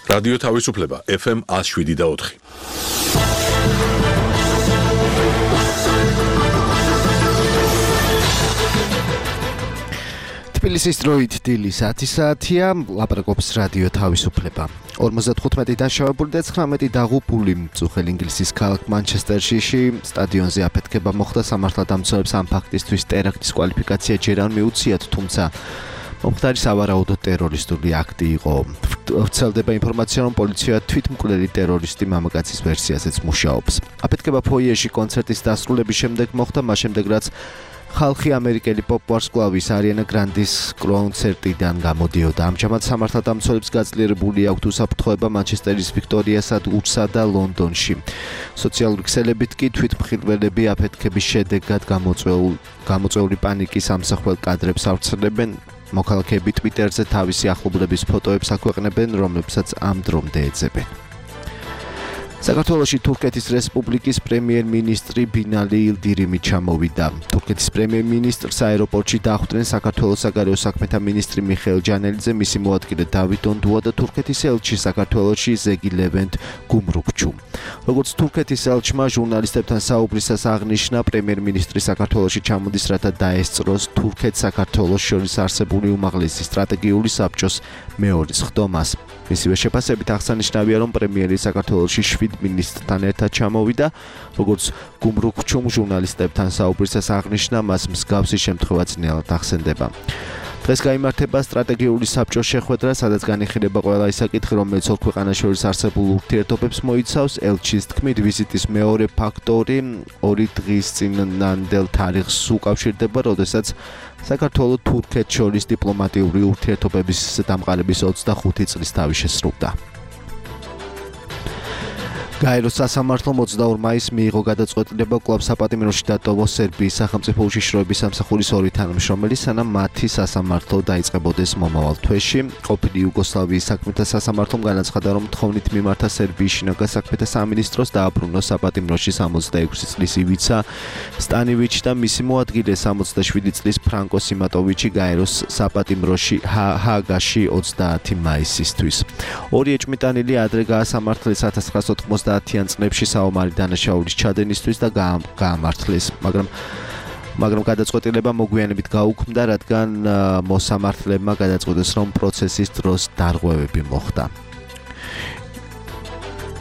რადიო თავისუფლება FM 107.4. თბილისის დროით დილი 10 საათია, ლაპარაკობს რადიო თავისუფლება. 55 დაშავებული და 19 დაღუპული მწუხელ ინგლისის ქალაქ მანჩესტერში სტადიონზე აფეთქება მოხდა. სამართალდამცავებს ამ ფაქტისთვის ტერაქტის კვალიფიკაცია ჯერ არ მიუციათ, თუმცა მომხდარი სავარაუდოდ ტერორისტული აქტი იყო. ვრცელდება ინფორმაცია, რომ პოლიცია თვითმკვლელი ტერორისტი მამაკაცის ვერსიაზეც მუშაობს. აფეთქება ფოიეში კონცერტის დასრულების შემდეგ მოხდა, მას შემდეგ რაც ხალხი ამერიკელი პოპ ვარსკვლავის არიანა გრანდის კონცერტიდან გამოდიოდა. ამჟამად სამართალდამცავებს გაძლიერებული აქვთ უსაფრთხოება მანჩესტერის ვიქტორია სადგურსა და ლონდონში. სოციალური ქსელებით კი თვითმხილველები აფეთქების შედეგად გამოწვეული პანიკის ამსახველ კადრებს ავრცელებენ. მოქალაქეები ტვიტერზე თავისი ახლობლების ფოტოებს აქვეყნებენ, რომლებსაც ამ დრომდე ეძებენ. საქართველოში თურქეთის რესპუბლიკის პრემიერ-მინისტრი ბინალი ილდირიმი ჩამოვიდა. თურქეთის პრემიერ-მინისტრს აეროპორტში დახვდნენ საქართველოს საგარეო საქმეთა მინისტრი მიხეილ ჯანელიძე, მისი მოადგილე დავით ონდუა და თურქეთის ელჩი საქართველოში ზეგი ლევენტ გუმრუქჩუ. როგორც თურქეთის ელჩმა ჟურნალისტებთან საუბრისას აღნიშნა, პრემიერ-მინისტრი საქართველოში ჩამოდის, რათა დაესწროს თურქეთ-საქართველოს შორის არსებული უმაღლესი სტრატეგიული საბჭოს მეორე სხდომას. მისივე შეფასებით აღსანიშნავია, რომ პრემიერი საქართველოში 7 მინისტრთან ერთად ჩამოვიდა. როგორც გუმრუქჩუმ ჟურნალისტებთან საუბრისას აღნიშნა, მას მსგავსი შემთხვევა ძნელად ახსენდება. დღეს გაიმართება სტრატეგიული საბჭოს შეხვედრა, სადაც განიხილება ყველა ის საკითხი, რომელიც ორ ქვეყანას შორის არსებულ ურთიერთობებს მოიცავს. ელჩის თქმით, ვიზიტის მეორე ფაქტორი 2 დღის წინანდელ თარიღს უკავშირდება, როდესაც საქართველოს თურქეთს შორის დიპლომატიური ურთიერთობების დამყარების 25 წლის თავი შესრულდა. გაეროს სასამართლომ 22 მაისს მიიღო გადაწყვეტილება კვლავ საპატიმროში დატოვოს სერბიის სახელმწიფო უშიშროების სამსახურის 2 თანამშრომელი, სანამ მათი სასამართლო დაიწყებოდეს მომავალ თვეში. ყოფილი იუგოსლავიის საქმეთა სასამართლომ განაცხადა, რომ თხოვნით მიმართა სერბიის შინაგან საქმეთა სამინისტროს დააბრუნოს საპატიმროში 66 წლის ივიცა სტანივიჩი და მისი მოადგილე 67 წლის ფრანკო სიმატოვიჩი გაეროს საპატიმროში ჰააგაში 30 მაისისთვის. ორი ეჭვმიტანილი ადრე გაასამართლეს 1990-იან წლებში საომარი დანაშაულის ჩადენისთვის და გაამართლეს, მაგრამ გადაწყვეტილება მოგვიანებით გაუქმდა, რადგან მოსამართლებმა გადაწყვიტეს, რომ პროცესის დროს დარღვევები მოხდა.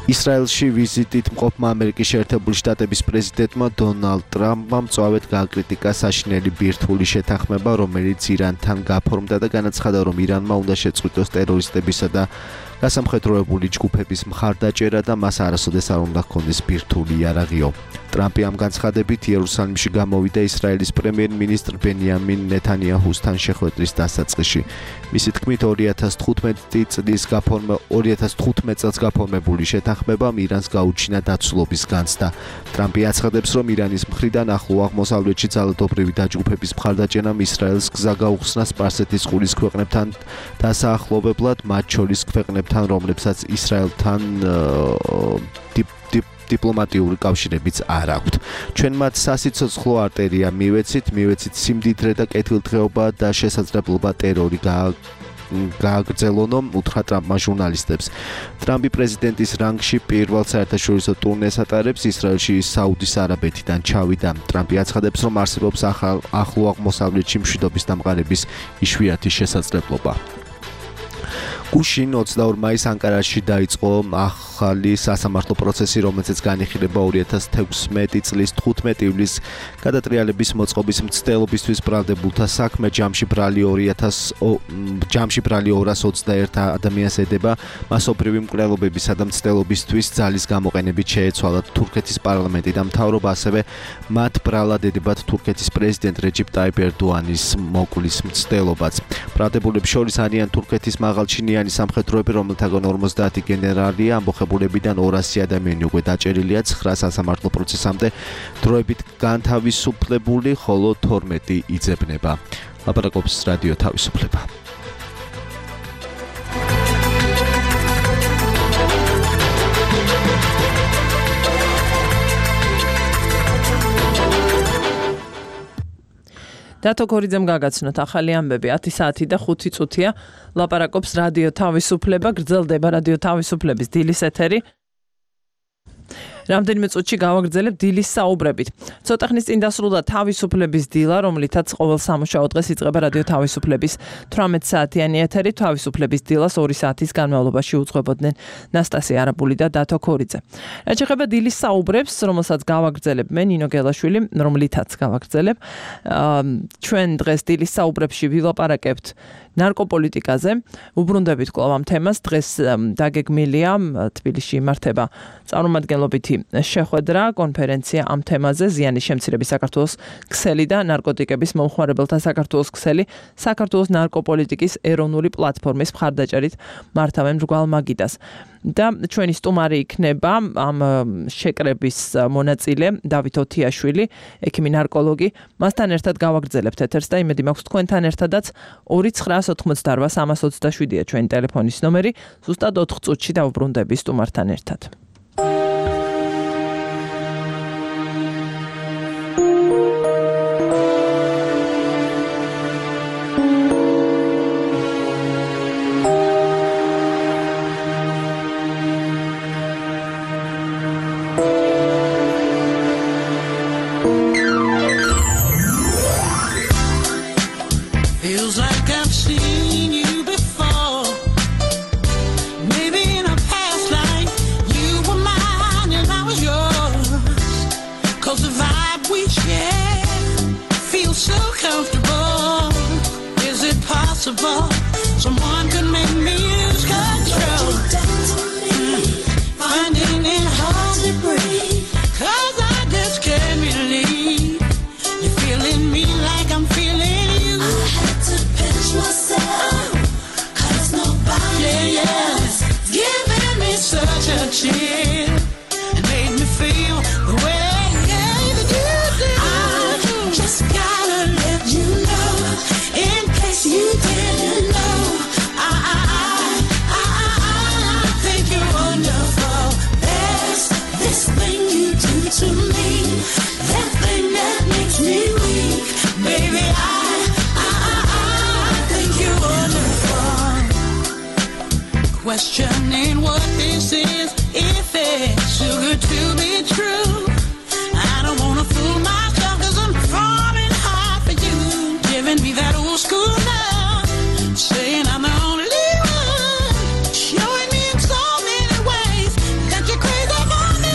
ისრაელში ვიზიტით მყოფმა ამერიკის შეერთებული შტატების პრეზიდენტმა დონალდ ტრამპმა მწვავედ გააკრიტიკა საშინელი ბირთვული შეთანხმება, რომელიც ირანთან გაფორმდა და განაცხადა, რომ ირანმა უნდა შეწყვიტოს ტერორისტებისა და გასამხედროებული ჯგუფების მხარდაჭერა და მას არასოდეს არ უნდა ჰქონდეს ბირთვული იარაღიო. ტრამპი ამ განცხადებით იერუსალიმში გამოვიდა ისრაელის პრემიერ-მინისტრ ბენიამინ ნეთანიაჰუსთან შეხვედრის დასაწყისში. მისი თქმით, 2015 წელს გაფორმებული შეთანხმებამ ირანს გაუჩინა დაცულობის განცდა. ტრამპი აცხადებს, რომ ირანის მხრიდან ახლო აღმოსავლეთში ძალადობრივი დაჯგუფების მხარდაჭერამ ისრაელს გზა გაუხსნა სპარსეთის ყურის ქვეყნებთან დასაახლოვებლად, მათ შორის ქვეყნებთან, რომლებსაც ისრაელთან დიპლომატიური კავშირებიც არ აქვთ. ჩვენ მათ სასიცოცხლო არტერია მივეცით სიმდიდრე და კეთილდღეობა და შესაძლებლობა ტერორი გააგრძელონო, უთხრა ტრამპმა ჟურნალისტებს. ტრამპი პრეზიდენტის რანგში პირველ საერთაშორისო ტურნეს ატარებს, ისრაელში საუდის არაბეთიდან ჩავიდა. ტრამპი აცხადებს, რომ არსებობს ახლო აღმოსავლეთში მშვიდობის დამყარების იშვიათი შესაძლებლობა. გუშინ 22 მაისს ანკარაში დაიწყო ახალი სასამართლო პროცესი, რომელზეც განიხილება 2016 წლის 15 ივლისს გადატრიალების მოწყობის მცდელობისთვის ბრალდებულთა საქმე. ჯამში ბრალი 221 ადამიანს ედება. მასობრივი მკვლელობებისა და მცდელობისთვის ძალის გამოყენებით შეეცვალა თურქეთის პარლამენტი და მთავრობა, ასევე მათ ბრალად ედებათ თურქეთის პრეზიდენტ რეჯიპ ტაიპ ერდოანის მოკვლის მცდელობაც. ბრალდებულებს შორის არიან თურქეთის მაღალჩინიანი სამხედროები, რომელთაგან 50 გენერალია, ამბოხებულებიდან 200 ადამიანი უკვე დაჭერილია 9 სასამართლო პროცესამდე დროებით განთავისუფლებული, ხოლო 12 იძებნება. ლაპარაკობს რადიო თავისუფლება. დათო ქორიძემ გაგაცნოთ ახალი ამბები 10 საათი და 5 წუთია ლაპარაკობს რადიო თავისუფლება გრძელდება რადიო თავისუფლების დილის ეთერი რამდენიმე წუთში გავაგრძელებ დილის საუბრებით. ცოტა ხნის წინ დასრულდა თავისუფლების დილა, რომლითაც ყოველ სამუშაო დღეს იწყება რადიო თავისუფლების 18 საათიანი ეთერი. თავისუფლების დილას 2 საათის განმავლობაში უძღვებოდნენ ნასტასია არაბული და დათო ქორიძე. რაც შეეხება დილის საუბრებს, რომელსაც გავაგრძელებ მე ნინო გელაშვილი, რომლითაც გავაგრძელებ. ჩვენ დღეს დილის საუბრებში ვილაპარაკებთ ნარკოპოლიტიკაზე. უბრუნდებით კვლავ ამ თემას. დღეს დაგეგმილია თბილისში იმართება წარმომადგენლობითი შეხვედრა, კონფერენცია ამ თემაზე ზიანის შემცირების საქართველოს ქსელი და ნარკოტიკების მომხმარებელთა საქართველოს ქსელი საქართველოს ნარკოპოლიტიკის ეროვნული პლატფორმის მხარდაჭერით მართავენ მრგვალ მაგიდას. და ჩვენი სტუმარი იქნება ამ შეკრების მონაწილე დავით ოთიაშვილი, ექიმი ნარკოლოგი. მასთან ერთად გავაგრძელებთ ეთერს და იმედი მაქვს თქვენთან ერთადაც 2988-327-ია ჩვენი ტელეფონის ნომერი. ზუსტად 4 წუთში დავუბრუნდები სტუმართან ერთად. Someone could make me lose control. Finding it hard to breathe, 'cause I just can't believe you're feeling me like I'm feeling you. I had to pinch myself, 'cause nobody else giving me such a chill and made me feel the way that you do. I just gotta let you know, in case you didn't know. To me, that thing that makes me weak, baby, I think you're wonderful. Questioning what this is, if it's too good to be true. I don't wanna fool myself, 'cause I'm falling hard for you, giving me that old school love, saying I'm the only one, showing me in so many ways that you're crazy for me.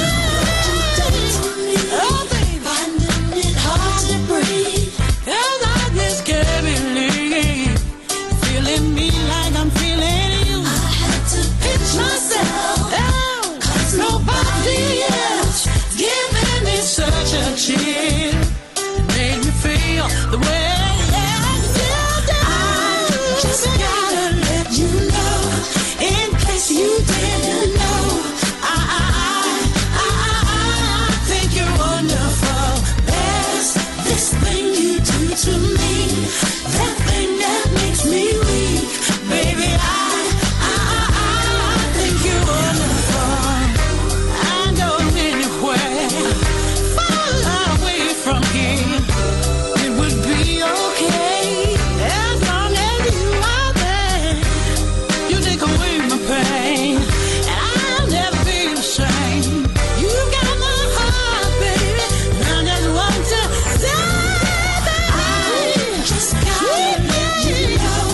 Chill, made me feel the way that you do. I just gotta let you know, in case you didn't know. I think you're wonderful. There's this thing you do to me, that thing that makes me weak, baby. I think you're wonderful. I go anywhere from here, it would be okay, as long as you are there. You take away my pain, and I'll never be the same. You got my heart, baby, and I just want to say that I just gotta let you know,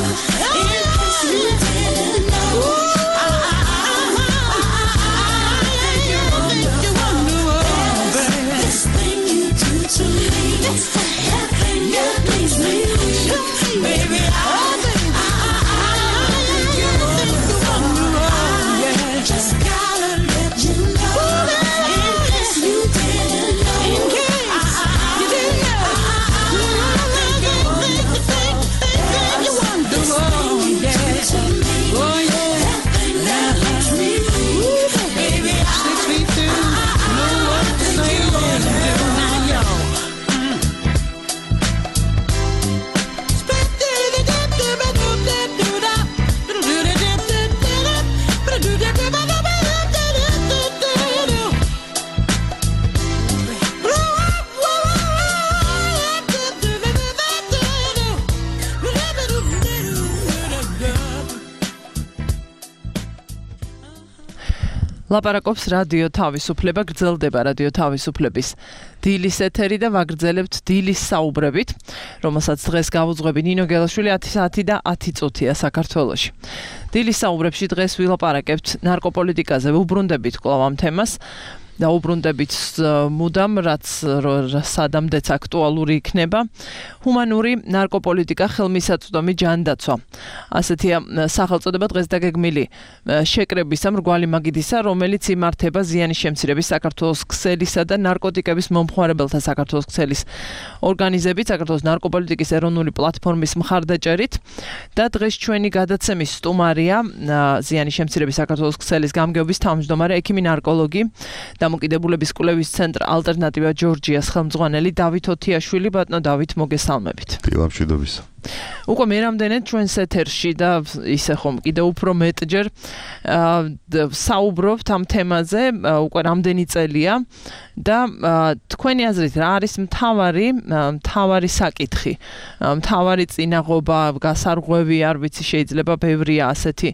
in case you didn't know. I think you're wonderful, baby. This thing you do to me, ლაპარაკობს რადიო თავისუფლება, გრძელდება რადიო თავისუფლების დილის ეთერი და ვაგრძელებთ დილის საუბრებით, რომელსაც დღეს გავუძღვები ნინო გელაშვილი 10 საათი და 10 წუთია საქართველოში. დილის საუბრებში დღეს ვილაპარაკებთ ნარკოპოლიტიკაზე, ვუბრუნდებით კვლავ ამ თემას. და უბრუნდებით მუდამ, რაც სადამდეც აქტუალური იქნება, ჰუმანური ნარკოპოლიტიკა, ხელმისაწვდომი ჯანდაცვა. ასეთია სახელწოდება დღეს დაგეგმილი შეკრებისა მრგვალი მაგიდისა, რომელიც იმართება ზიანის შემცირების საქართველოს ქსელისა და ნარკოტიკების მომხმარებელთა საქართველოს ქსელის ორგანიზებით, საქართველოს ნარკოპოლიტიკის ეროვნული პლატფორმის მხარდაჭერით და დღეს ჩვენი გადაცემის სტუმარია ზიანის შემცირების საქართველოს ქსელის გამგეობის თავმჯდომარე ექიმი ნარკოლოგი დამოკიდებულების კვლევის ცენტრ ალტერნატივა ჯორჯიას ხელმძღვანელი დავით ოთიაშვილი. ბატონო დავით, მოგესალმებით. დილამშვიდობისა. უკვე მე რამდენად ჩვენს ეთერში და ისე ხომ კიდევ უფრო მეტჯერ საუბრობთ ამ თემაზე, უკვე რამდენი წელია და თქვენი აზრით რა არის მთავარი საკითხი, მთავარი წინაღობა, გასარღვევი, არ ვიცი, შეიძლება ბევრია ასეთი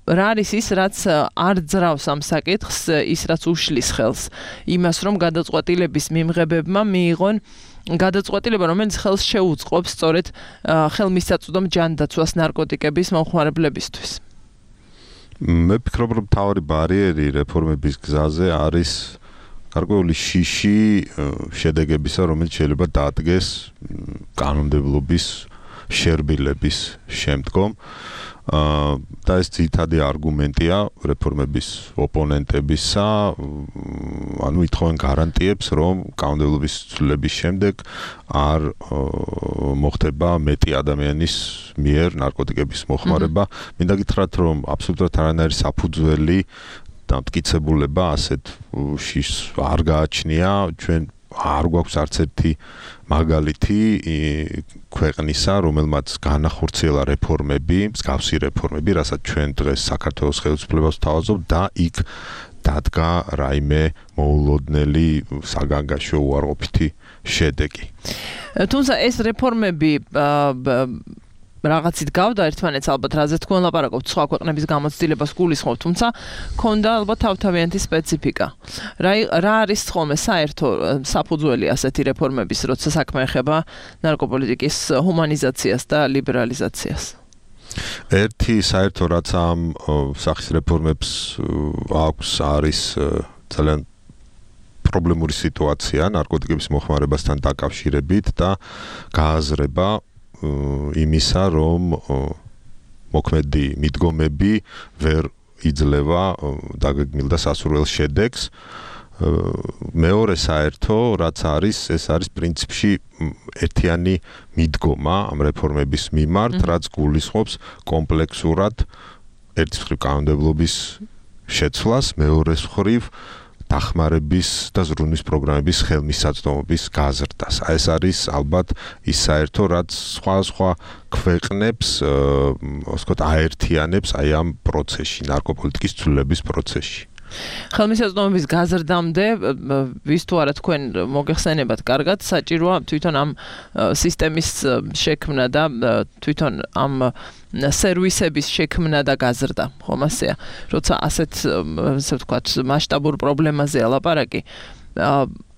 რა არის ის, რაც არ ძრავს ამ საკითხს, ის რაც უშლის ხელს იმას, რომ გადაწყვეტილების მიმღებებმა მიიღონ გადაწყვეტილება, რომელიც ხელს შეუწყობს სწორედ ხელმისაწვდომ ჯანდაცვას ნარკოტიკების მომხმარებლებისთვის. მე ვფიქრობ, რომ მთავარი ბარიერი რეფორმების გზაზე არის გარკვეული შიში შედეგებისა, რომელიც შეიძლება დაადგეს კანონმდებლობის შერბილების შემდგომ. და ეს ძირითადი არგუმენტია რეფორმების ოპონენტებისა, ანუ ითხოვენ გარანტიებს, რომ კანონმდებლობის ცვლილების შემდეგ არ მოხდება მეტი ადამიანის მიერ ნარკოტიკების მოხმარება. მინდა გითხრათ, რომ აბსოლუტურად არანაირი საფუძველი და მტკიცებულება ასეთ შიშს არ გააჩნია. ჩვენ არ გვაქვს არც ერთი მაგალითი ქვეყნისა, რომელმაც განახორციელა რეფორმები, მსგავსი რეფორმები, რასაც ჩვენ დღეს საქართველოს ხელისუფლებას ვთავაზობთ და იქ დადგა რაიმე მოულოდნელი საგანგაშო უარყოფითი შედეგი. თუმცა ეს რეფორმები რაღაცით გავდა ერთმანეთს, ალბათ რაზეც თქვენ ლაპარაკობთ, სხვა ქვეყნების გამოცდილებას გულისხმობთ, თუმცა ქონდა ალბათ თავთავიანთი სპეციფიკა. რა არის ხოლმე საერთო საფუძველი ასეთი რეფორმების, როცა საქმე ეხება ნარკოპოლიტიკის ჰუმანიზაციას და ლიბერალიზაციას? ერთი საერთო რაც ამ სახის რეფორმებს აქვს, არის ძალიან პრობლემური სიტუაცია ნარკოტიკების მოხმარებასთან დაკავშირებით და გააზრება იმისა, რომ მოქმედი მიდგომები ვერ იძლევა დაგეგმილ და სასურველ შედეგს. მეორე საერთო, რაც არის, ეს არის პრინციპში ერთიანი მიდგომა ამ რეფორმების მიმართ, რაც გულისხმობს კომპლექსურად ერთის მხრივ კანონმდებლობის შეცვლას, მეორეს მხრივ დახმარების და ზრუნვის პროგრამების ხელმისაწვდომობის გაზრდას. ეს არის ალბათ ის საერთო, რაც სხვა ქვეყნებს, ასე ვთქვათ, აერთიანებს აი ამ პროცესში, ნარკოპოლიტიკის ცვლილების პროცესში. ხელმისაწვდომობის გაზრდამდე, ვის თუ არა თქვენ მოგეხსენებათ კარგად, საჭიროა თვითონ ამ სისტემის შექმნა და თვითონ ამ სერვისების შექმნა და გაზრდა, ხომ ასეა? როცა ასე ვთქვათ, მასშტაბურ პრობლემაზეა ლაპარაკი.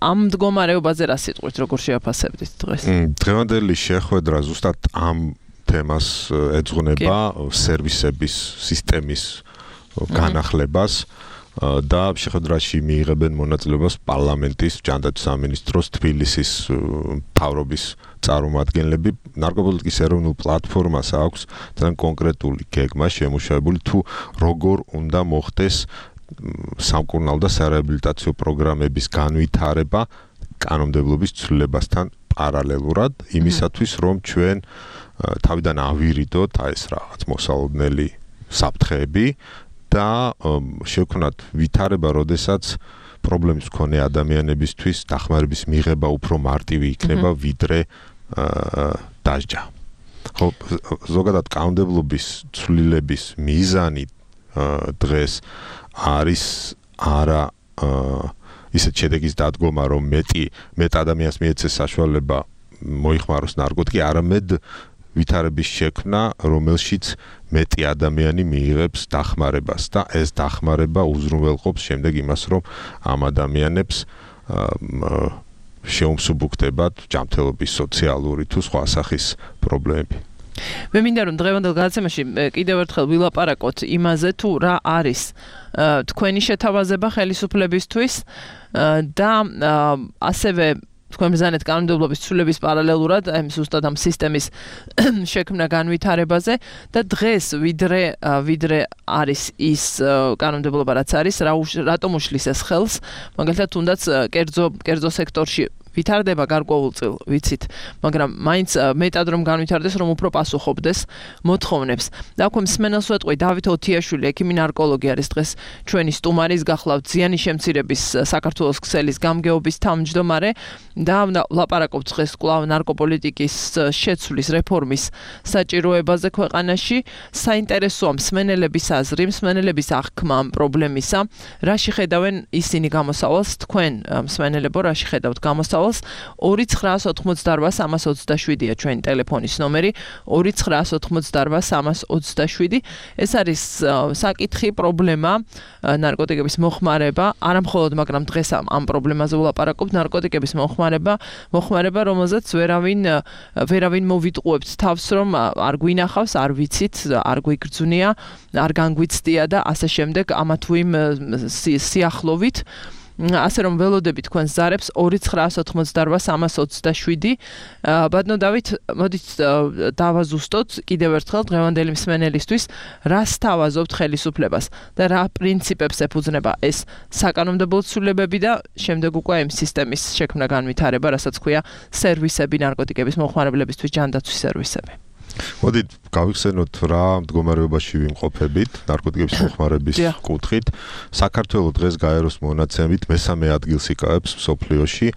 ამ მდგომარეობაზე რა სიტყვით, როგორ შეაფასებდით დღეს? დღევანდელი შეხვედრა ზუსტად ამ თემას ეძღვნება სერვისების სისტემის განახლებას. და შეხვედრაში მიიღებენ მონაწილეობას პარლამენტის ჯანდაცვის სამინისტროს თბილისის მთავრობის წარმომადგენლები. ნარკოპოლიტიკის ეროვნულ პლატფორმას აქვს ძალიან კონკრეტული გეგმა შემუშავებული, თუ როგორ უნდა მოხდეს სამკურნალო და სარეაბილიტაციო პროგრამების განვითარება კანონმდებლობის ცვლილებასთან პარალელურად, იმისათვის, რომ ჩვენ თავიდან ავირიდოთ ეს რაღაც მოსალოდნელი საფრთხეები და შევქნათ ვითარება, როდესაც პრობლემის მქონე ადამიანებისთვის დახმარების მიღება უფრო მარტივი იქნება, ვიდრე დასჯა. ხო, ზოგადად კანონმდებლობის ცვლილების მიზანი დღეს არის არა ისეთ შედეგის დადგომა, რომ მეტ ადამიანს მიეცეს საშუალება მოიხმაროს ნარკოტიკი, არამედ ვითარების შექმნა, რომელშიც მეტი ადამიანი მიიღებს დახმარებას და ეს დახმარება უზრუნველყოფს შემდეგ იმას, რომ ამ ადამიანებს შეუმსუბუქდებათ ჯანმრთელობის სოციალური თუ სხვა სახის პრობლემები. მე მინდა რომ დღევანდელ გადაცემაში კიდევ ერთხელ ვილაპარაკოთ იმაზე თუ რა არის თქვენი შეთავაზება ხელისუფლებისთვის და ასევე თქვენ ბრძანეთ კანონმდებლობის ცვლილების პარალელურად აი ზუსტად ამ სისტემის შექმნა განვითარებაზე და დღეს ვიდრე არის ის კანონმდებლობა რაც არის რატომ უშლის ეს ხელს მაგალითად თუნდაც კერძო სექტორში ვითარდება გარკვეულწილ ვიცით მაგრამ მაინც მეტად რომ განვითარდეს რომ უფრო პასუხობდეს მოთხოვნებს და აქვე მსმენელს ვეტყვი დავით ოთიაშვილი ექიმი ნარკოლოგი არის დღეს ჩვენი სტუმარის გახლავთ ზიანის შემცირების საქართველოს ქსელის გამგეობის თავმჯდომარე და ლაპარაკობთ დღეს კვლავ ნარკოპოლიტიკის შეცვლის რეფორმის საჭიროებაზე ქვეყანაში საინტერესოა მსმენელების აზრი მსმენელების აღქმა ამ პრობლემისა რაში ხედავენ ისინი გამოსავალს თქვენ მსმენელებო რაში ხედავთ გამოსავალს 2988-327-ია ჩვენი ტელეფონის ნომერი 2988-327 ეს არის საკითხი პრობლემა ნარკოტიკების მოხმარება არა მხოლოდ მაგრამ დღეს ამ პრობლემაზე ვლაპარაკობთ ნარკოტიკების მოხმარება რომელზეც ვერავინ მოვიტყუებთ თავს რომ არ გვინახავს არ ვიცით არ გვიგრძვნია არ განგვიცდია და ასე შემდეგ ამა თუ იმ სიახლოვით ასე რომ ველოდები თქვენს ზარებს 2988-327 ბატონო დავით მოდით დავაზუსტოთ კიდევ ერთხელ დღევანდელი მსმენელისთვის რას თავაზობთ ხელისუფლებას და რა პრინციპებს ეფუძნება ეს საკანონმდებლო ცვლილებები და შემდეგ უკვე იმ სისტემის შექმნა განვითარება რასაც ქვია სერვისები ნარკოტიკების მოხმარებლებისთვის ჯანდაცვის სერვისები მოდით გავიხსენოთ რა მდგომარეობაში ვიმყოფებით ნარკოტიკების მოხმარების კუთხით საქართველოს დღეს გაეროს მონაცემებით მესამე ადგილს იკავებს მსოფლიოში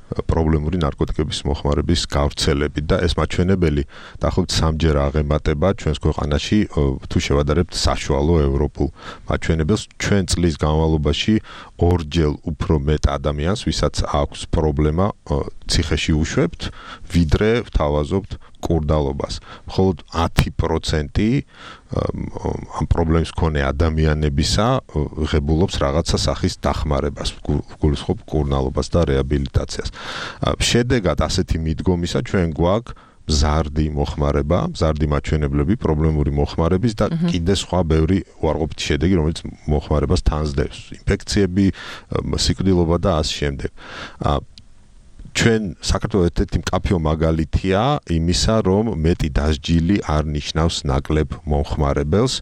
პრობლემური ნარკოტიკების მოხმარების გავრცელებით და ეს მაჩვენებელი დაახლოებით 3-ჯერ აღემატება ჩვენს ქვეყანაში თუ შევადარებთ საშუალო ევროპულ მაჩვენებელს ჩვენ წლის განმავლობაში 2-ჯერ უფრო მეტ ადამიანს ვისაც აქვს პრობლემა ციხეში უშვებთ ვიდრე ვთავაზობთ კურდალობას მხოლოდ 10% ამ პრობლემის მქონე ადამიანებისა ღებულობს რაღაცა სახის დახმარებას, გულისხმობ კურნალობას და რეაბილიტაციას. შედეგად ასეთი მიდგომისა ჩვენ გვაქვს მზარდი მოხმარება, მზარდი მაჩვენებლები პრობლემური მოხმარების და კიდე სხვა ბევრი უარყოფითი შედეგი, რომელიც მოხმარებას თანსდევს. ინფექციები, სიკვდილობა და ასე შემდეგ. ჩვენ საქართველოს ერთ-ერთი მკაფიო მაგალითია იმისა, რომ მეტი დასჯილი არ ნიშნავს ნაკლებ მომხმარებელს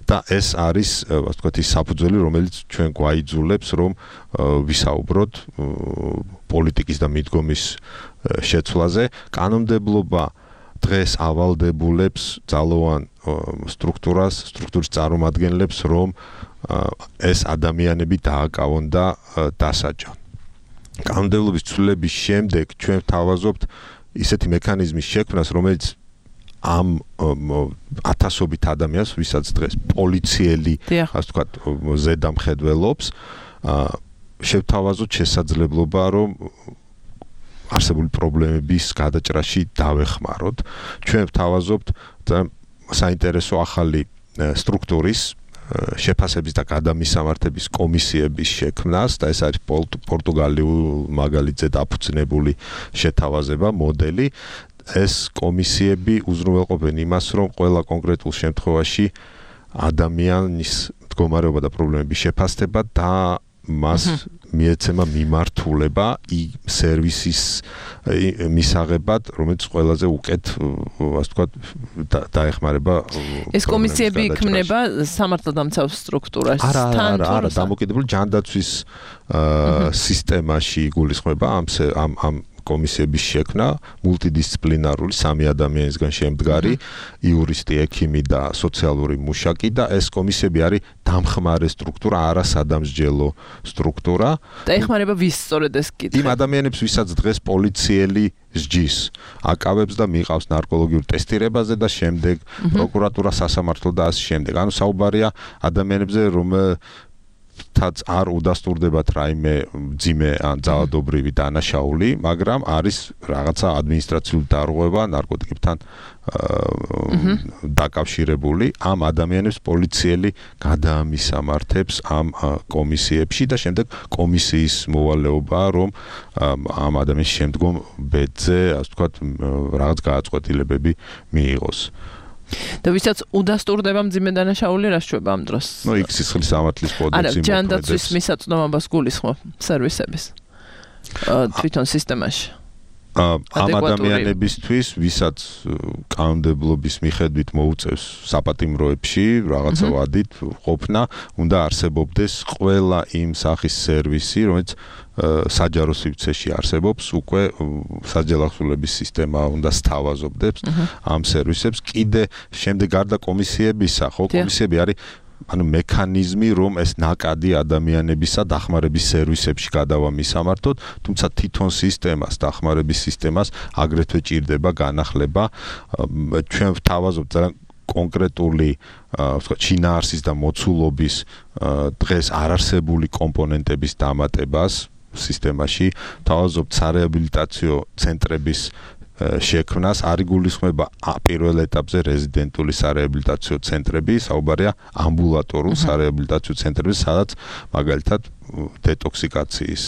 და ეს არის, ასე ვთქვათ, ის საფუძველი, რომელიც ჩვენ გვაიძულებს, რომ ვისაუბროთ პოლიტიკის და მიდგომის შეცვლაზე. კანონმდებლობა დღეს ავალდებულებს ძალოვან სტრუქტურის წარმომადგენლებს, რომ ეს ადამიანები დააკავონ და დასაჯონ. კანონმდებლობის ცვლილების შემდეგ ჩვენ ვთავაზობთ ისეთი მექანიზმის შექმნას, რომელიც ამ ათასობით ადამიანს, ვისაც დღეს პოლიციელი, ასე ვთქვათ, ზედამხედველობს, შევთავაზოთ შესაძლებლობა, რომ არსებული პრობლემების გადაჭრაში დავეხმაროთ. ჩვენ ვთავაზობთ საინტერესო ახალი სტრუქტურის შეფასების და გადამისამართების კომისიების შექმნას და ეს არის პორტუგალიურ მაგალითზე დაფუძნებული შეთავაზება მოდელი ეს კომისიები უზრუნველყოფენ იმას რომ ყველა კონკრეტულ შემთხვევაში ადამიანის მდგომარეობა და პრობლემები შეფასდება და მას მიეცემა მიმართულება სერვისის მისაღებად, რომელიც ყველაზე უკეთ, ასე ვთქვათ, დაეხმარება. ეს კომისიები იქმნება სამართალდამცავ სტრუქტურაში. არა, დამოკიდებული ჯანდაცვის სისტემაში გულისხმება ამ კომისიების შექმნა, მულტიდისციპლინარული 3 ადამიანისგან შემდგარი, იურისტი, ექიმი და სოციალური მუშაკი და ეს კომისიები არის დამხმარე სტრუქტურა, არა სადამსჯელო სტრუქტურა. და ეხმარება ვის სწორედ ეს კითხვა? იმ ადამიანებს, ვისაც დღეს პოლიციელი სჯის, აკავებს და მიყავს ნარკოლოგიურ ტესტირებაზე და შემდეგ პროკურატურა, სასამართლო და ასე შემდეგ. ანუ საუბარია ადამიანებზე, ვიღაცათაც არ უდასტურდებათ რაიმე მძიმე ან ძალადობრივი დანაშაული, მაგრამ არის რაღაცა ადმინისტრაციული დარღვევა ნარკოტიკებთან დაკავშირებული, ამ ადამიანებს პოლიციელი გადაამისამართებს ამ კომისიებში და შემდეგ კომისიის მოვალეობაა, რომ ამ ადამიანის შემდგომ ბედზე, ასე ვთქვათ, რაღაც გააწყვეტილებები მიიღოს. და ვისაც უდასტურდება მძიმე დანაშაული რა შეება ამ დროს? ნუ იქ სისხლის სამართლის კოდექსი მოქმედებს. ჯანდაცვის მისაწვდომობას გულისხმობ სერვისების თვითონ სისტემაში. ამ ადამიანებისთვის, ვისაც კანონმდებლობის მიხედვით მოუწევს საპატიმროებში რაღაცა ვადით ყოფნა, უნდა არსებობდეს ყველა იმ სახის სერვისი, რომელიც საჯარო სივრცეში არსებობს, უკვე საჯელახსოვრების სისტემა უნდა სთავაზობდეს ამ სერვისებს. კიდე შემდეგ გარდა კომისიებისა, ხო, კომისიები არის მექანიზმი, რომ ეს ნაკადი ადამიანებისა დახმარების სერვისებში გადავამისამართოთ, თუმცა თვითონ სისტემას, დახმარების სისტემას აგრეთვე ჭირდება განახლება. ჩვენ ვთავაზობთ ძალიან კონკრეტული შინაარსის და მოცულობის დღეს არარსებული კომპონენტების დამატებას სისტემაში, თავაზობთ სარეაბილიტაციო ცენტრების შექმნას, არის გულისხმება პირველ ეტაპზე რეზიდენტული სარეაბილიტაციო ცენტრები, საუბარია ამბულატორულ სარეაბილიტაციო ცენტრებზე, სადაც მაგალითად დეტოქსიკაციის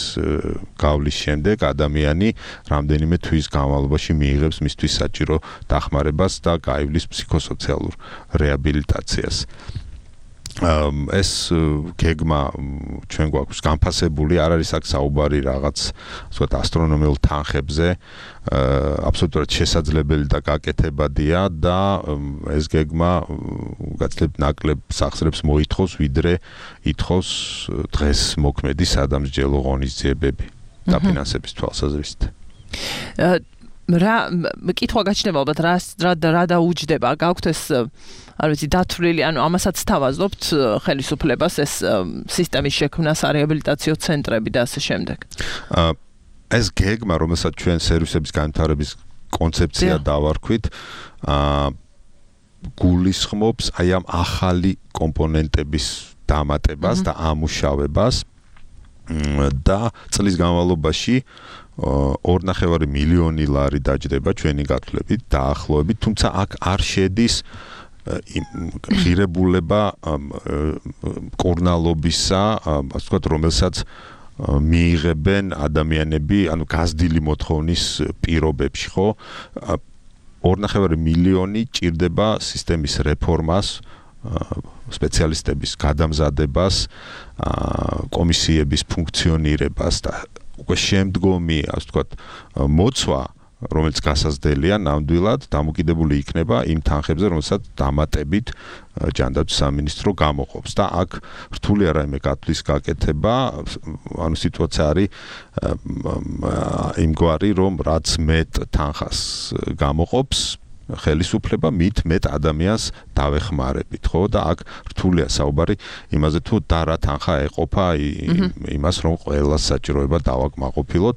გავლის შემდეგ ადამიანი რამდენიმე თვის განმავლობაში მიიღებს მისთვის საჭირო დახმარებას და გაივლის ფსიქოსოციალურ რეაბილიტაციას. ეს გეგმა ჩვენ გვაქვს განფასებული, არ არის აქ საუბარი რაღაც ვთქვათ ასტრონომიულ თანხებზე, აბსოლუტურად შესაძლებელი და გაკეთებადია და ეს გეგმა გაცილებით ნაკლებ სახსრებს მოითხოვს, ვიდრე ითხოვს დღეს მოქმედი სადამსჯელო ღონისძიებები დაფინანსების თვალსაზრისით. რა კითხვა გაჩნდება ალბათ რა დაუჯდება, გაქვთ ეს არ ვიცი დათვლილი, ანუ ამასაც თავაზობთ ხელისუფლებას ეს სისტემის შექმნა, სარეაბილიტაციო ცენტრები და ასე შემდეგ. ეს გეგმა, რომელსაც ჩვენ სერვისების განვითარების კონცეფცია დავარქვით, გულისხმობს აი ამ ახალი კომპონენტების დამატებას და ამუშავებას და წლის განმავლობაში 2.5 მილიონი ლარი დაჯდება ჩვენი გათვლებით, დაახლოებით, თუმცა აქ არ შედის ღირებულება კორნალობისა, ასე ვთქვათ, რომელსაც მიიღებენ ადამიანები, ანუ გაზრდილი მოთხოვნის პირობებში, ხო? 2.5 მილიონი ჭირდება სისტემის რეფორმას, სპეციალისტების გადამზადებას, კომისიების ფუნქციონირებას და უკვე შემდგომი, ასე ვთქვათ, მოცვა, რომელიც გასაზრდელია ნამდვილად დამოკიდებული იქნება იმ თანხებზე, რომელსაც დამატებით ჯანდაცვის სამინისტრო გამოყოფს და აქ რთული არ რაიმე გათვლის გაკეთება, ანუ სიტუაცია არის იმგვარი, რომ რაც მეტ თანხას გამოყოფს ხელისუფლება, მით მეტ ადამიანს დავეხმარებით, ხო? და აქ რთულია საუბარი იმაზე, თუ და რა თანხა ეყოფა იმას, რომ ყველას საჭიროება დავაკმაყოფილოთ.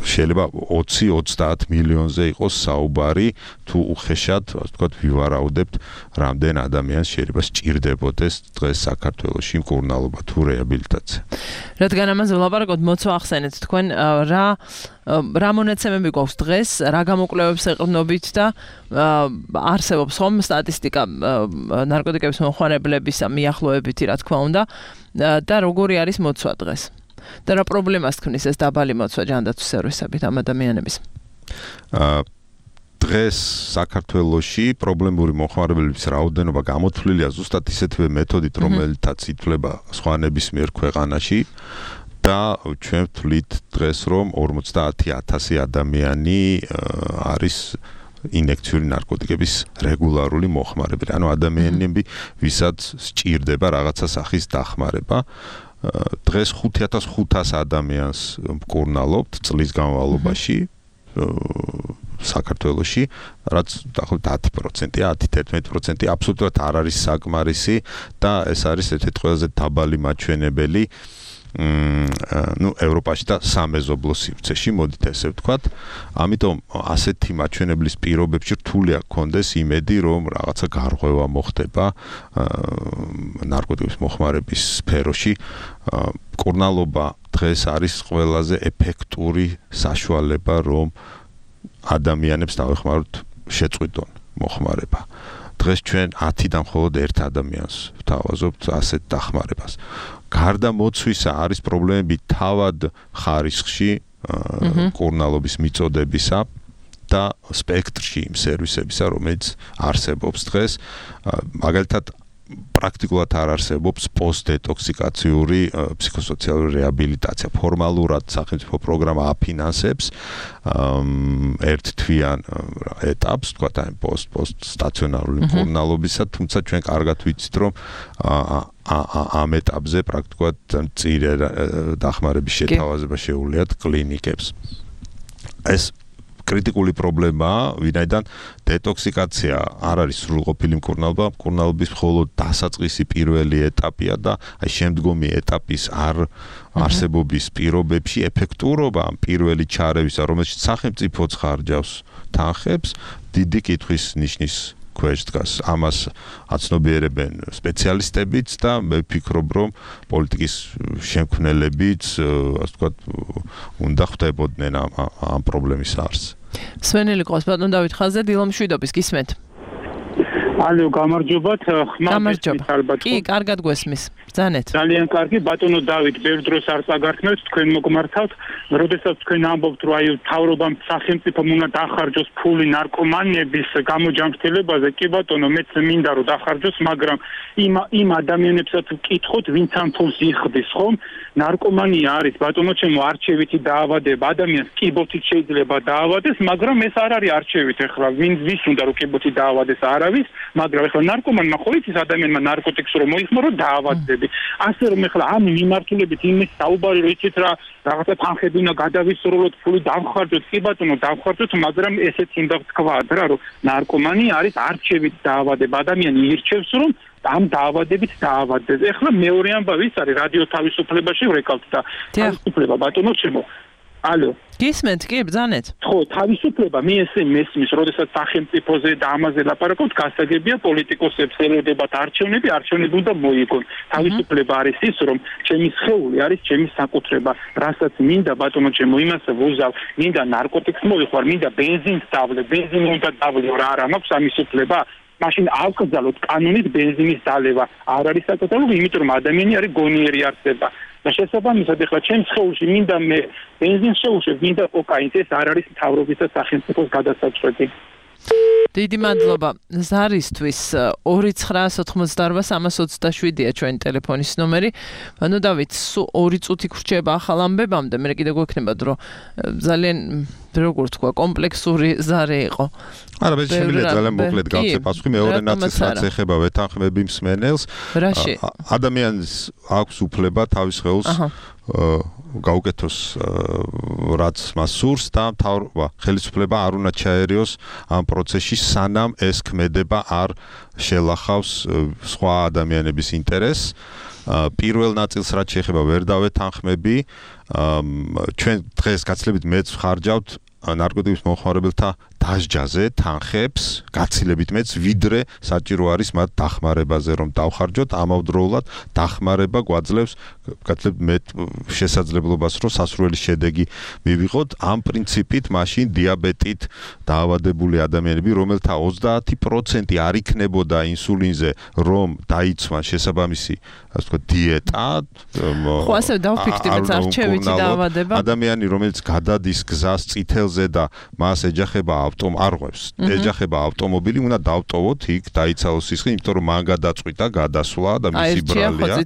შეიძლება 20-30 მილიონზე იყოს საუბარი, თუ უხეშად, ასე ვთქვათ, ვივარაუდებთ, რამდენ ადამიანს შეიძლება სჭირდებოდეს დღეს საქართველოში მკურნალობა თუ რეაბილიტაცია. რადგან ამაზე ვლაპარაკობთ, მოცვა ახსენეთ თქვენ, რა მონაცემები გვაქვს დღეს, რა გამოკვლევებს ეყრდნობით და არსებობს ხომ სტატისტიკა ნარკოტიკების მომხმარებლებისა მიახლოებითი, რა თქმა უნდა, და როგორი არის მოცვა დღეს? და რა პრობლემას ქმნის ეს დაბალი მოცვა ჯანდაცვის სერვისებით ამ ადამიანების? დღეს საქართველოში პრობლემური მომხმარებლების რაოდენობა გამოთვლილია ზუსტად ისეთივე მეთოდით, რომელთაც ითვლება სხვა ნებისმიერ ქვეყანაში და ჩვენ ვთვლით დღეს, რომ 50,000 ადამიანი არის ინექციური ნარკოტიკების რეგულარული მომხმარებელი. ანუ ადამიანები, ვისაც სჭირდება რაღაცა სახის დახმარება. დღეს 5,500 ადამიანს მკურნალობთ წლის განმავლობაში საქართველოში, რაც დაახლოებით 10%-ია, 10-11% აბსოლუტურად არ არის საკმარისი და ეს არის ერთ-ერთი ყველაზე დაბალი მაჩვენებელი ევროპაში და სამეზობლო სივრცეში, მოდით ესე ვთქვათ. ამიტომ ასეთი მაჩვენებლის პირობებში რთულია გქონდეს იმედი, რომ რაღაცა გარღვევა მოხდება ნარკოტიკების მოხმარების სფეროში. მკურნალობა დღეს არის ყველაზე ეფექტური საშუალება, რომ ადამიანებს დავეხმაროთ შეწყვიტონ მოხმარება. დღეს ჩვენ 10-დან მხოლოდ ერთ ადამიანს ვთავაზობთ ასეთ დახმარებას. გარდა მოცვისა არის პრობლემები თავად ხარისხში მკურნალობის მიწოდებისა და სპექტრში იმ სერვისებისა, რომელიც არსებობს დღეს. მაგალითად პრაქტიკულად არ არსებობს პოსტდეტოქსიკაციური ფსიქოსოციალური რეაბილიტაცია. ფორმალურად სახელმწიფო პროგრამა აფინანსებს ერთ თვიან ეტაპს, თქვათ აი პოსტსტაციონარული მკურნალობისა, თუმცა ჩვენ კარგად ვიცით, რომ ამ ეტაპზე პრაქტიკულად მწირე დახმარების შეთავაზება შეუძლიათ კლინიკებს. ეს კრიტიკული პრობლემაა, ვინაიდან დეტოქსიკაცია არ არის სრულყოფილი მკურნალობა, მკურნალობის მხოლოდ დასაწყისი პირველი ეტაპია და აი შემდგომი ეტაპის არსებობის პირობებში ეფექტურობა ამ პირველი ჩარევისა, რომელშიც სახელმწიფოც ხარჯავს თანხებს, დიდი კითხვის ნიშნის ქვეშ დგას. ამას აცნობიერებენ სპეციალისტებიც და მე ვფიქრობ, რომ პოლიტიკის შემქმნელებიც, ასე ვთქვათ, უნდა ხვდებოდნენ ამ პრობლემის არსს. სვენელი ყავს ბატონ დავით ხაზზე, დილო მშვიდობის, გისმენთ. ალო, გამარჯობათ. გამარჯობა. კი, კარგად გვესმის. ბრძანეთ. ძალიან კარგი, ბატონო დავით, ბევრ დროს არ წაგართმევთ, თქვენ მოგმართავთ. როდესაც თქვენ ამბობთ, რომ აი მთავრობამ სახელმწიფომ უნდა დახარჯოს ფული ნარკომანების გამოჯანმრთელებაზე, კი ბატონო, მეც მინდა რომ დახარჯოს, მაგრამ იმ ადამიანებსაც ვკითხოთ, ვინც ამ ფულს იხდის, ხომ? ნარკომანია არის ბატონო ჩემო არჩევითი დაავადება, ადამიანს კიბოთით შეიძლება დაავადეს, მაგრამ ეს არ არის არჩევით ახლა, ვის უნდა რომ კიბოთით დაავადეს, არავის, მაგრამ ახლა ნარკომანმა ხო იცის ადამიანმა ნარკოტიკს რომ მოიხმარო დაავადდები. ასე რომ ახლა ამ მიმართულებით იმის საუბარი რომ იცით რა რაღაცა თანხები უნდა გადავისროლოთ, ფული დავხარჯოთ, კი ბატონო დავხარჯოთ, მაგრამ ესეც უნდა ვთქვათ რა, რომ ნარკომანი არის არჩევით დაავადება, ადამიანი ირჩევს რომ ამ დაავადებით დაავადდეს. ეხლა მეორე ამბავი ის არის რადიო თავისუფლებაში ვრეკავთ და თავისუფლება ბატონო ჩემო. ალო. გისმენთ, კი, ბრძანეთ. ხო, თავისუფლება მე ესე მესმის, როდესაც სახელმწიფოზე და ამაზე ლაპარაკობთ, გასაგებია პოლიტიკოსებს ელოდებათ არჩევნები უნდა მოიგონ. თავისუფლება არის ის, რომ ჩემი სხეული არის ჩემი საკუთრება, რასაც მინდა ბატონო ჩემო იმას ვუზავ, მინდა ნარკოტიკს მოვიხوار, მინდა ბენზინს დავლე, ბენზინი უნდა დავლე, რა არ მაქვს ამის უფლება. მაშინ ავკრძალოთ კანონით ბენზინის დალევა. არ არის საკუთრება, იმიტომ რომ ადამიანი არის გონიერი არსება. და შესაბამისად ახლა ჩემს სხეულში მინდა მე ბენზინს შევუშვებ, მინდა კოკაინს, ეს არ არის მთავრობის და სახელმწიფოს გადასაწყვეტი. დიდი მადლობა. ზარისთვის 2988-327-ია ჩვენი ტელეფონის ნომერი. ანუ დავით, სულ 2 წუთი გრჩება ახალ ამბებამდე, მე კიდე გვექნება დრო. ძალიან როგორ თქვა, კომპლექსური ზარე იყო. არა, მე შემიძლია ძალიან მოკლედ გავცე პასუხი მეორე ნაწილს, რაც ეხება ვეთანხმები მსმენელს. ადამიანს აქვს უფლება თავის სხეულს გაუკეთოს რაც მას სურს და ხელისუფლება არ უნდა ჩაერიოს ამ პროცესში, სანამ ეს ქმედება არ შელახავს სხვა ადამიანების ინტერესს. პირველ ნაწილს რაც შეეხება ვერ დავეთანხმები, ჩვენ დღეს გაცილებით მეც ვხარჯავთ ნარკოტიკების მომხმარებელთა დასჯაზე თანხებს, გაცილებით მეც, ვიდრე საჭირო არის მათ დახმარებაზე რომ დავხარჯოთ, ამავდროულად დახმარება გვაძლევს გაცილებით მეტ შესაძლებლობას რომ სასურველი შედეგი მივიღოთ. ამ პრინციპით მაშინ დიაბეტით დაავადებული ადამიანები, რომელთა 30% არ იქნებოდა ინსულინზე, რომ დაიცვან შესაბამისი, ასე ვთქვათ, დიეტა, ხო, ასე დავფიქრდით, არჩევითი დაავადება. ადამიანი, რომელიც გადადის გზას წითელზე და მას ეჯახება ეჯახება ავტომობილი, უნდა დავტოვოთ იქ, დაიცალოს სისხლი, იმიტომ რომ მან გადაწყვიტა გადასვლა და მისი ბრალია.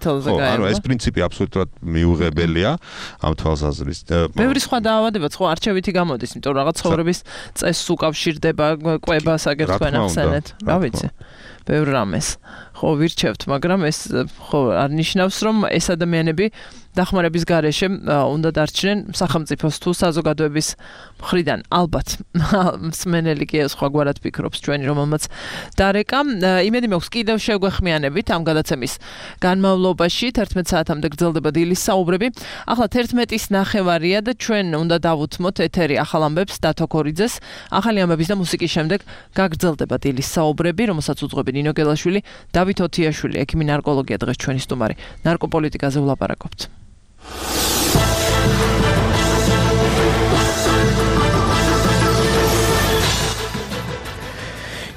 ანუ ეს პრინციპი აბსოლუტურად მიუღებელია ამ თვალსაზრისით. ბევრი სხვა დაავადებაც ხო არჩევითი გამოდის, იმიტომ რომ რაღაც ცხოვრების წესს უკავშირდება, კვებას აგერ თქვენ ახსენეთ. რა ვიცი. ბევრ რამეს. ხო ვირჩევთ, მაგრამ ეს ხო არ ნიშნავს, რომ ეს ადამიანები დახმარების გარეშე უნდა დარჩნენ სახელმწიფოს თუ საზოგადოების მხრიდან. ალბათ მსმენელი კი სხვაგვარად ფიქრობს ჩვენი, რომელმაც დარეკა. იმედი მაქვს კიდევ შევგვეხმიანებით ამ გადაცემის განმავლობაში 11 საათამდე გრძელდება დილის საუბრები. ახლა 11:09 და ჩვენ უნდა დავუთმოთ ეთერი ახალ ამბებს დათო ქორიძეს. ახალი ამბების და მუსიკის შემდეგ გაგრძელდება დილის საუბრები, რომელსაც უძღვები ნინო გელაშვილი, დავით ოთიაშვილი, ექიმი ნარკოლოგია დღეს ჩვენი სტუმარი. ნარკოპოლიტიკაზე ვლაპარაკობთ.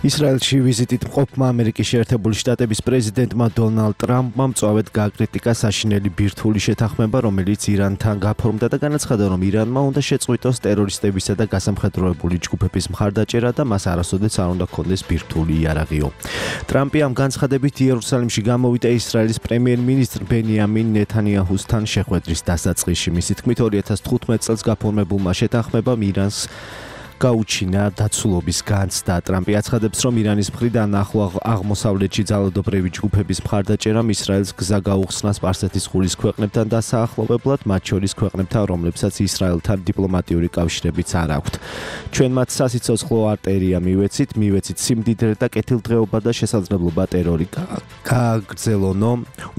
ისრაელში ვიზიტით მყოფმა ამერიკის შეერთებული შტატების პრეზიდენტმა დონალდ ტრამპმა მწვავედ გააკრიტიკა საშინელი ბირთვული შეთანხმება, რომელიც ირანთან გაფორმდა და განაცხადა, რომ ირანმა უნდა შეწყვიტოს ტერორისტებისა და გასამხედროებული ჯგუფების მხარდაჭერა და მას არასოდეს არ უნდა ჰქონდეს ბირთვული იარაღიო. ტრამპი ამ განცხადებით იერუსალიმში გამოვიდა ისრაელის პრემიერ-მინისტრ ბენიამინ ნეთანიაჰუსთან შეხვედრის დასაწყისში. მისი თქმით 2015 წელს გაფორმებულმა შეთანხმებამ ირანს გაუჩინა დაცულობის განცდა. ტრამპი აცხადებს, რომ ირანის მხრიდან ახლო აღმოსავლეთში ძალადობრივი ჯგუფების მხარდაჭერამ ისრაელს გზა გაუხსნა სპარსეთის ყურის ქვეყნებთან დასაახლოვებლად, მათ შორის ქვეყნებთან, რომლებსაც ისრაელთან დიპლომატიური კავშირებიც არ აქვთ. ჩვენ მათ სასიცოცხლო არტერია მივეცით სიმდიდრე და კეთილდღეობა და შესაძლებლობა ტერორი გააგრძელონო,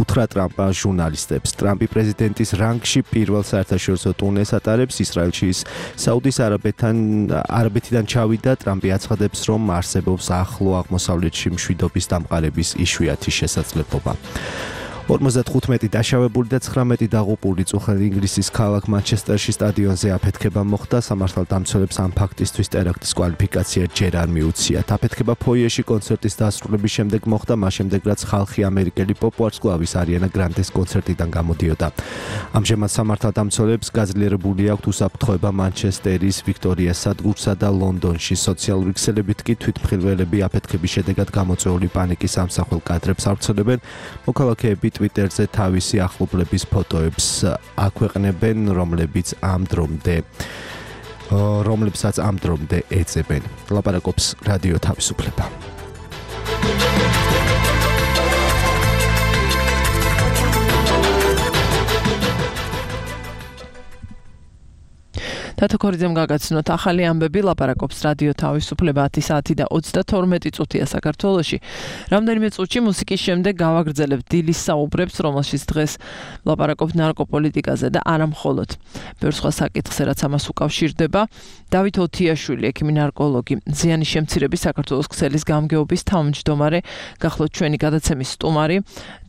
უთხრა ტრამპმა ჟურნალისტებს. ტრამპი პრეზიდენტის რანგში პირველ საერთაშორისო ტურნეს ატარებს ისრაელში, საუდის არაბეთიდან ჩავიდა. ტრამპი აცხადებს, რომ არსებობს ახლო აღმოსავლეთში მშვიდობის დამყარების იშვიათი შესაძლებლობა. 55 დაშავებული და 19 დაღუპული წუხელი ინგლისის ქალაქ მანჩესტერში სტადიონზე აფეთქება მოხდა. სამართალდამცველებს ამ ფაქტისთვის ტერაქტის კვალიფიკაცია ჯერ არ მიუციათ. აფეთქება ფოიეში კონცერტის დასრულების შემდეგ მოხდა, მას შემდეგ რაც ხალხი ამერიკელი პოპ ვარსკვლავის არიანა გრანდეს კონცერტიდან გამოდიოდა. ამჟამად სამართალდამცველებს გაძლიერებული აქვთ უსაფრთხოება მანჩესტერის ვიქტორიას სადგურსა და ლონდონში. სოციალური ქსელებით კი თვითმხილველები აფეთქების შედეგად გამოწვეული პანიკის ამსახველ კადრებს ავრცელებენ. მოქალაქეები Twitterზე თავისი ახლობლების ფოტოებს აქვეყნებენ, რომლებსაც ამ დრომდე ეძებენ. ლაპარაკობს რადიო თავისუფლება. დათო ქორიძემ გაგაცნოთ ახალი ამბები, ლაპარაკობს რადიო თავისუფლება 10 საათი და 32 წუთია საქართველოში. რამდენიმე წუთში მუსიკის შემდეგ გავაგრძელებთ დილის საუბრებს, რომელშიც დღეს ლაპარაკობთ ნარკოპოლიტიკაზე და არა მხოლოდ. ბევრ სხვა საკითხზე, რაც ამას უკავშირდება. დავით ოთიაშვილი, ექიმი ნარკოლოგი, ზიანის შემცირების საქართველოს ქსელის გამგეობის თავმჯდომარე, გახლავთ ჩვენი გადაცემის სტუმარი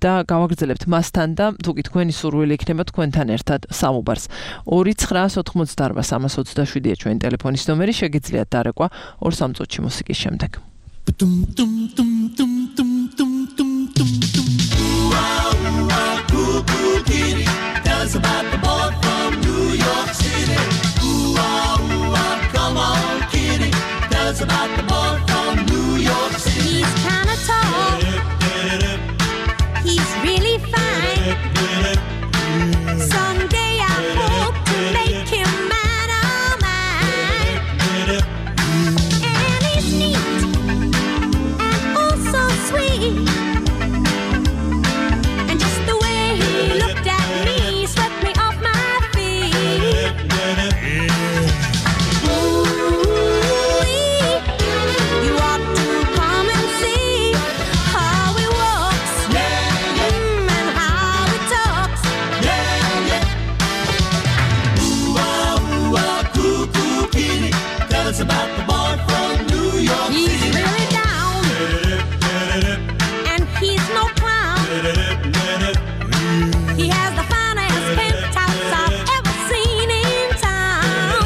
და გავაგრძელებთ მასთან და თუ კი თქვენი სურვილი იქნება თქვენთან ერთად საუბარს. 2988-327-ია ჩვენი ტელეფონის ნომერი, შეგიძლიათ დარეკვა 2-3 წუთში მუსიკის შემდეგ. About the boy from New York City. He's kinda tall. He's really fine. Someday I hope to make him mine, oh mine. And he's neat and oh so sweet. And just the way he looked at me swept me off my feet. About the boy from New York City. He's really down, and he's no clown. He has the finest penthouse I've ever seen in town.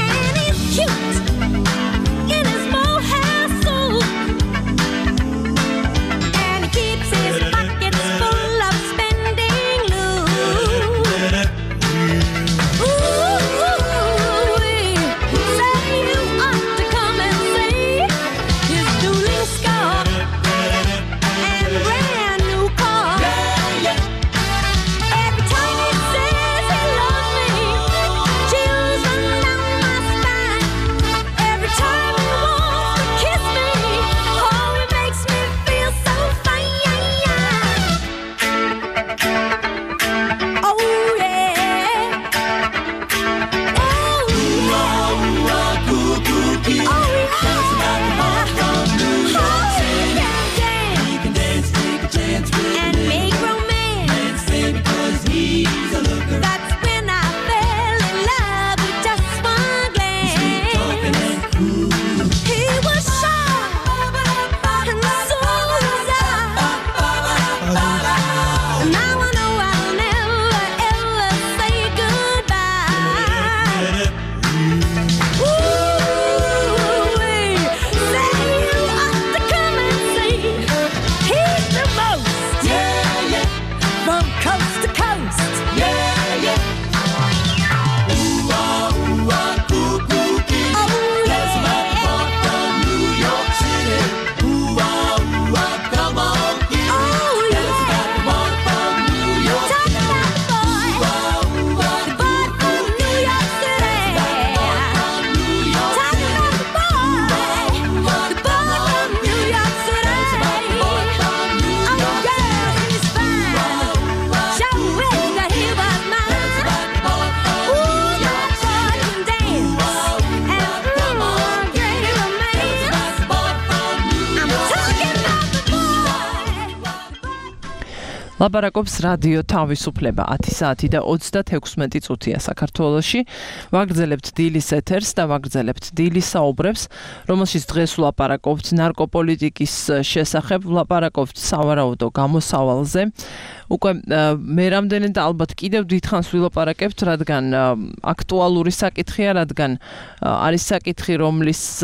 And he's cute in his mohair suit, and he keeps his pockets full of spending loot. Ooh. ლაპარაკობს რადიო თავისუფლება 10 საათი და 36 წუთია საქართველოში. ვაგრძელებთ დილის ეთერს და ვაგრძელებთ დილის საუბრებს, რომელშიც დღეს ვლაპარაკობთ ნარკოპოლიტიკის შესახებ, ვლაპარაკობთ სავარაუდო გამოსავალზე. უკვე მე რამდენი და ალბათ კიდევ დიდხანს ვილაპარაკებთ, რადგან აქტუალური საკითხია, რადგან არის საკითხი, რომლის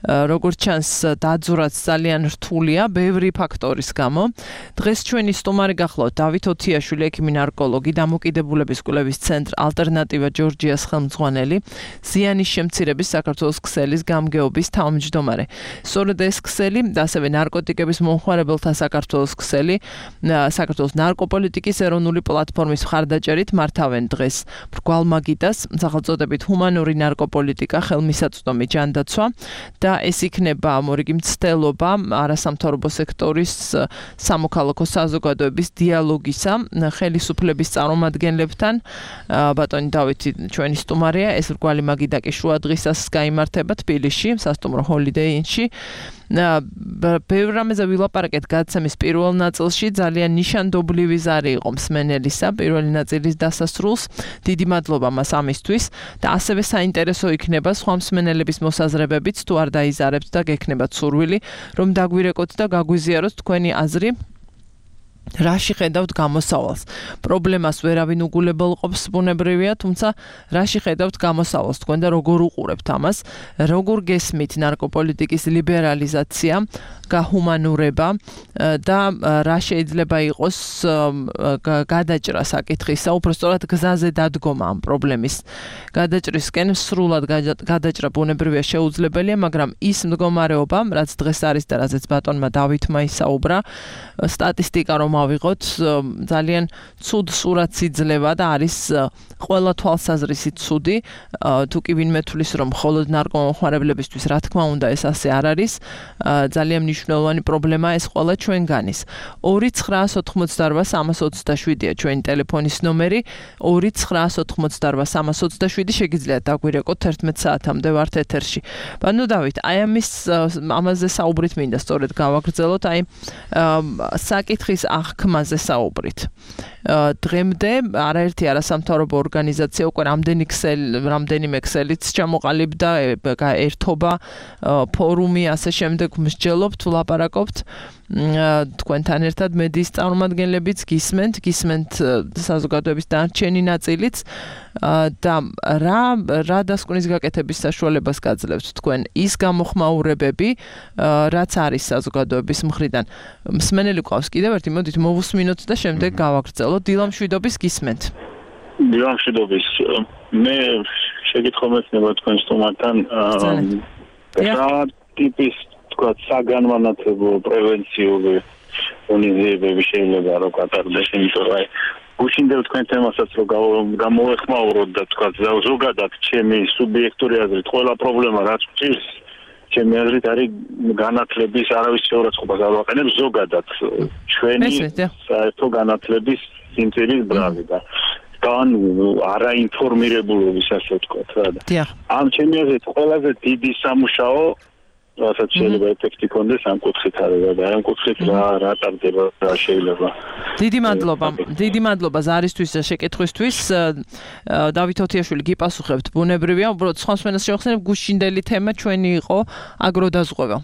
როგორც ჩანს დაძვრაც ძალიან რთულია ბევრი ფაქტორის გამო. დღეს ჩვენი სტუმარი გახლავთ დავით ოთიაშვილი, ექიმი ნარკოლოგი, დამოკიდებულების კვლევის ცენტრ ალტერნატივა ჯორჯიას ხელმძღვანელი, ზიანის შემცირების საქართველოს ქსელის გამგეობის თავმჯდომარე. სწორედ ეს ქსელი და ასევე ნარკოტიკების მომხმარებელთა საქართველოს ქსელი, საქართველოს ნარკოპოლიტიკის ეროვნული პლატფორმის მხარდაჭერით მართავენ დღეს მრგვალ მაგიდას, სახელწოდებით ჰუმანური ნარკოპოლიტიკა, ხელმისაწვდომი ჯანდაცვა და ეს იქნება მორიგი მცდელობა არასამთავრობო სექტორის სამოქალაქო საზოგადოების დიალოგისა ხელისუფლების წარმომადგენლებთან. ბატონი დავითი ჩვენი სტუმარია, ეს მრგვალი მაგიდა კი შუა დღისას გაიმართება თბილისში, სასტუმრო ჰოლიდეი ინში. ბევრ რამეზე ვილაპარაკეთ გადაცემის პირველ ნაწილში, ძალიან ნიშანდობლივი ზარი იყო მსმენელისა პირველი ნაწილის დასასრულს. დიდი მადლობა მას ამისთვის და ასევე საინტერესო იქნება სხვა მსმენელების მოსაზრებებიც, თუ არ დაიზარებთ და გექნებათ სურვილი, რომ დაგვირეკოთ და გაგვიზიაროთ თქვენი აზრი. რაში ხედავთ გამოსავალს? პრობლემას ვერავინ უგულებელყოფს, ბუნებრივია, თუმცა რაში ხედავთ გამოსავალს თქვენ და როგორ უყურებთ ამას? როგორ გესმით ნარკოპოლიტიკის ლიბერალიზაცია, გაჰუმანურება და რა შეიძლება იყოს გადაჭრა საკითხისა, უბრალოდ გზაზე დადგომა ამ პრობლემის გადაჭრისკენ სრულად გადაჭრა ბუნებრივია შეუძლებელია, მაგრამ ის მდგომარეობა, რაც დღეს არის და რაზეც ბატონმა დავითმა ისაუბრა, სტატისტიკა რომ ავიღოთ, ძალიან ცუდ სურათს იძლევა და არის ყველა თვალსაზრისით ცუდი. თუ კი ვინმე თulis რომ მხოლოდ ნარკომომხმარებლებისთვის, რა თქმა უნდა, ეს ასე არ არის. ძალიან მნიშვნელოვანი პრობლემაა ეს ყველა ჩვენგანის. 2988327-ია ჩვენი ტელეფონის ნომერი, 2988327 შეგიძლიათ დაგვირეკოთ 11 საათამდე ვართ ეთერში. ბანო დავით, აი ამაზე საუბრით მინდა სწორედ გავაგრძელოთ, აი საკითხის აღქმაზე საუბრით. დღემდე არაერთი არასამთავრობო ორგანიზაცია უკვე რამდენიმე ქსელიც ჩამოყალიბდა, ერთობა, ფორუმი, ასე შემდეგ მსჯელობთ, ვლაპარაკობთ. თქვენთან ერთად მედიის წარმომადგენლებიც გისმენთ საზოგადოების დარჩენი ნაწილიც და რა დასკვნის გაკეთების საშუალებას გაძლევთ თქვენ ის გამოხმაურებები, რაც არის საზოგადოების მხრიდან. მსმენელი გვყავს კიდევ ერთი, მოდით მოვუსმინოთ და შემდეგ გავაგრძელოთ. დილამშვიდობის გისმენთ. დილამშვიდობის. მე შეკითხვა მექნება თქვენ სტუმართან რა ტიპის თქვა საგანმანათლებლო პრევენციული უნივერსიტეტები შეიძლება რომ გატარდეს, იმიტომ რომ გუშინდებ თქვენ თემასაც რომ გამოვეხმაუროთ და თქვა ზოგადად ჩემი სუბიექტური აზრით ყველა პრობლემა რაც ჭირს ჩემი აზრით არის განათლების არავის შეურაცხყოფას არ ვაყენებს ზოგადად ჩვენი საერთო განათლების სიმცირის ბრალი და არაინფორმირებულობის ასე ვთქვათ რა. ამ ჩემი აზრით ყველაზე დიდი სამუშაო რასაც შეიძლება ეფექტი ქონდეს ამ კუთხით არის და ამ კუთხით რა ტარდება რა შეიძლება. დიდი მადლობა ზარისთვის და შეკითხვისთვის. დავით ოთიაშვილი გიპასუხებთ, ბუნებრივია, უბრალოდ სხვა მსმენელს შევახსენებ, გუშინდელი თემა ჩვენი იყო აგროდაზღვევა.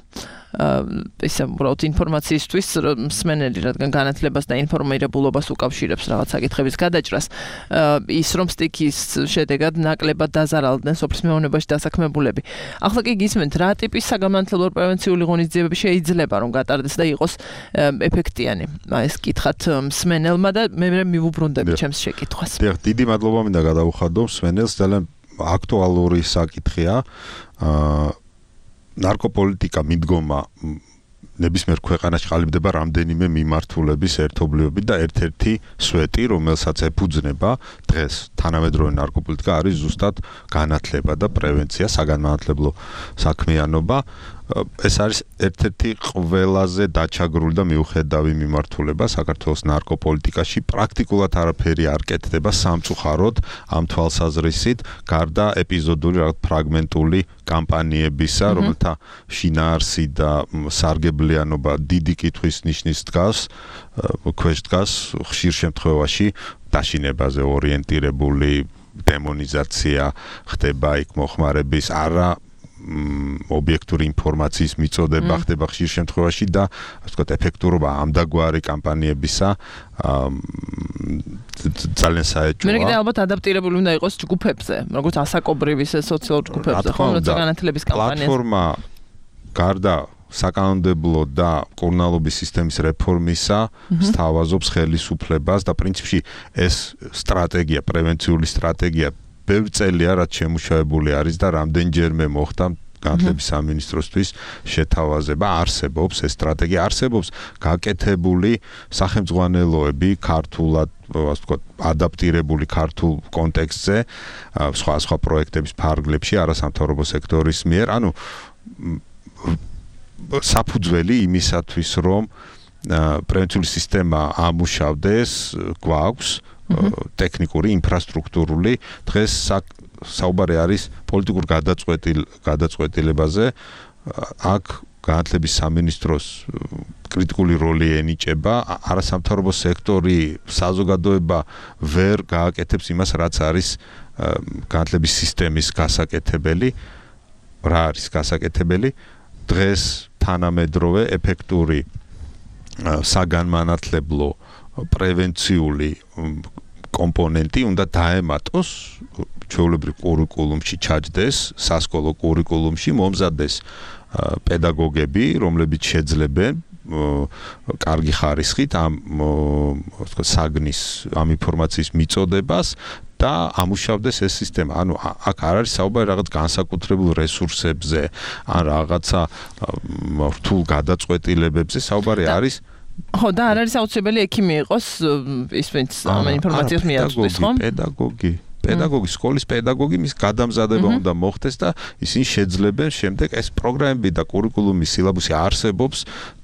ესე უბრალოდ ინფორმაციისთვის მსმენელი, რადგან განათლებას და ინფორმირებულობას უკავშირებს რაღაც საკითხების გადაჭრას, ის რომ სტიქის შედეგად ნაკლებად დაზარალდნენ სოფლის მეურნეობაში დასაქმებულები. ახლა კი გისმენთ, რა ტიპის საგანმანათლებლო პრევენციული ღონისძიებები შეიძლება რომ გატარდეს და იყოს ეფექტიანი. ეს კითხათ მსმენელმა და მე მივუბრუნდები ჩემს შეკითხვას. დიდი მადლობა მინდა გადავუხადო მსმენელს, ძალიან აქტუალური საკითხია. ნარკოპოლიტიკა მიდგომა ნებისმიერ ქვეყანაში ყალიბდება რამდენიმე მიმართულების ერთობლიობით და ერთ-ერთი სვეტი, რომელსაც ეფუძნება დღეს თანამედროვე ნარკოპოლიტიკა არის ზუსტად განათლება და პრევენცია, საგანმანათლებლო საქმიანობა. ეს არის ერთ-ერთი ყველაზე დაჩაგრული და მიუხედავი მიმართულება საქართველოს ნარკოპოლიტიკაში. პრაქტიკულად არაფერი არ კეთდება სამწუხაროდ ამ თვალსაზრისით, გარდა ეპიზოდური ფრაგმენტული კამპანიებისა, რომელთა შინაარსი და სარგებლიანობა დიდი კითხვის ნიშნის დგას, ქვეშ დგას ხშირ შემთხვევაში დაშინებაზე ორიენტირებული დემონიზაცია ხდება იქ მოხმარების არა ობიექტური ინფორმაციის მიწოდება ხდება ხშირ შემთხვევაში და ასე ვთქვათ ეფექტურობა ამდაგვარი კამპანიებისა ძალიან საეჭვოა. მე კიდე ალბათ ადაპტირებული უნდა იყოს ჯგუფებზე, როგორც ასაკობრივი სოციალურ ჯგუფებზე, ხო, როცა განათლების კამპანიას. პლატფორმა გარდა საკანონმდებლო და კურნალობის სისტემის რეფორმისა სთავაზობს ხელისუფლებას და პრინციპში ეს სტრატეგია, პრევენციული სტრატეგია ბევრი წელია რაც შემუშავებული არის და რამდენჯერმე მოხდა განათლების სამინისტროსთვის შეთავაზება. არსებობს ეს სტრატეგია, არსებობს გაკეთებული სახელმძღვანელოები ქართულად, ასე ვთქვათ, ადაპტირებული ქართულ კონტექსტზე, სხვა პროექტების ფარგლებში არასამთავრობო სექტორის მიერ, ანუ საფუძველი იმისათვის, რომ პრევენციული სისტემა ამუშავდეს, გვაქვს ტექნიკური, ინფრასტრუქტურული, დღეს საუბარი არის პოლიტიკურ გადაწყვეტილებაზე. აქ განათლების სამინისტროს კრიტიკული როლი ენიჭება, არასამთავრობო სექტორი, საზოგადოება ვერ გააკეთებს იმას, რაც არის განათლების სისტემის გასაკეთებელი. რა არის გასაკეთებელი? დღეს თანამედროვე ეფექტური საგანმანათლებლო პრევენციული კომპონენტი უნდა დაემატოს ჩვეულებრივ კურიკულუმში, ჩაჯდეს სასკოლო კურიკულუმში, მომზადდეს პედაგოგები, რომლებიც შეძლებენ კარგი ხარისხით ამ საგნის ამ ინფორმაციის მიწოდებას და ამუშავდეს ეს სისტემა. ანუ აქ არ არის საუბარი რაღაც განსაკუთრებულ რესურსებზე, ან რაღაცა რთულ გადაწყვეტილებებზე, საუბარი არის ხო, და არ არის აუცილებელი ექიმი იყოს ის ვინც ამ ინფორმაციას მიაწვდის, ხო? პედაგოგი, სკოლის პედაგოგი, მის გადამზადება უნდა მოხდეს და ისინი შეძლებენ შემდეგ ეს პროგრამები და კურიკულუმის სილაბუსი არსებობს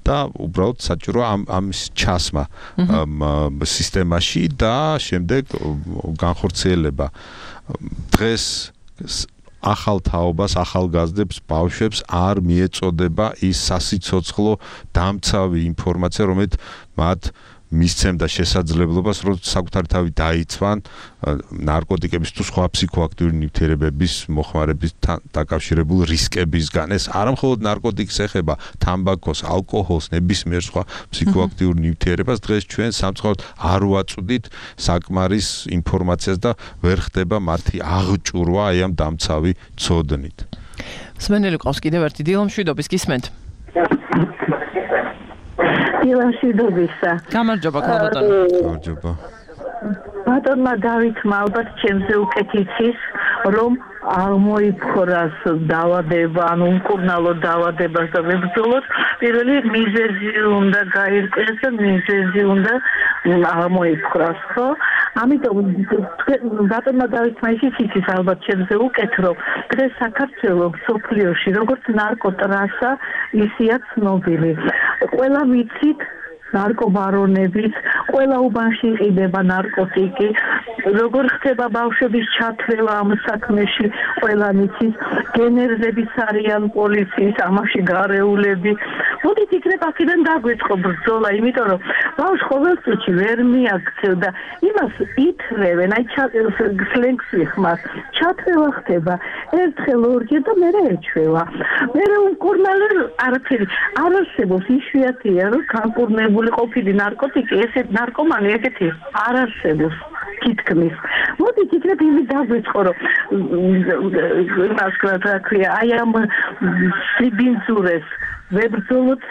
და უბრალოდ საჭიროა ამის ჩასმა სისტემაში და შემდეგ განხორციელება. დღეს ახალ თაობას, ახალგაზრდებს, ბავშვებს არ მიეწოდება ის სასიცოცხლო დამცავი ინფორმაცია, რომელიც მათ მისცემდა შესაძლებლობას, რომ საკუთარი თავი დაიცვან ნარკოტიკების თუ სხვა ფსიქოაქტიური ნივთიერებების მოხმარებისთან დაკავშირებულ რისკებისგან. ეს არამხოლოდ ნარკოტიკს ეხება, თამბაქოს, ალკოჰოლს, ნებისმიერ სხვა ფსიქოაქტიურ ნივთიერებას. დღეს ჩვენ სამწუხაროდ არ ვაწვდით საკმარის ინფორმაციას და ვერ ხდება მათი აღჭურვა აი ამ დამცავი ცოდნით. სმენელი ყავს კიდევ ერთი დილამშვიდობის გისმენთ. დილამშვიდობისა. გამარჯობა, ქალბატონო. გამარჯობა. ბატონმა დავითმა ალბათ ჩემზე უკეთიცის, რომ აღმოიფხვრას დაავადება, ანუ უმკურნალო დაავადებას და ვებრძოლოთ, პირველი მიზეზი უნდა გაირკვეს და მიზეზი უნდა აღმოიფხვრას, ხო? ამიტომ ბატონმა დავითმა ისიც ალბათ ჩემზე უკეთ, რომ დღეს საქართველოს სოფლიოში როგორც ნარკოტრასა ისია ცნობილი. ყველა ვიცით ნარკობარონების, ყველა უბანში იყიდება ნარკოტიკი, როგორ ხდება ბავშვების ჩათვლება ამ საქმეში, ყველა მიცის, გენერლების არიან პოლიციის, ამაში გარეულები. მოდით იქნებ აქედან დაგვეწყო ბრძოლა, იმიტომ რომ ბავშვს ყოველწუთში ვერ მიაქცევ და იმას ითრევენ, აი სლენგს ვიხმარ, ჩათვლება ხდება, ერთხელ ორჯერ და მერე ეჩვევა. მერე უკურნალო არაფერი არ არსებობს, იშვიათია, რომ განკურნებული ყოფილი ნარკოტიკი, ესეთ ნარკომანი ესეთი არ არსებობს თითქმის. მოდით იქნებ იმით დაგვეწყო, რომ რა ქვია, აი ამ სიბინძურეს ვებრძოლოთ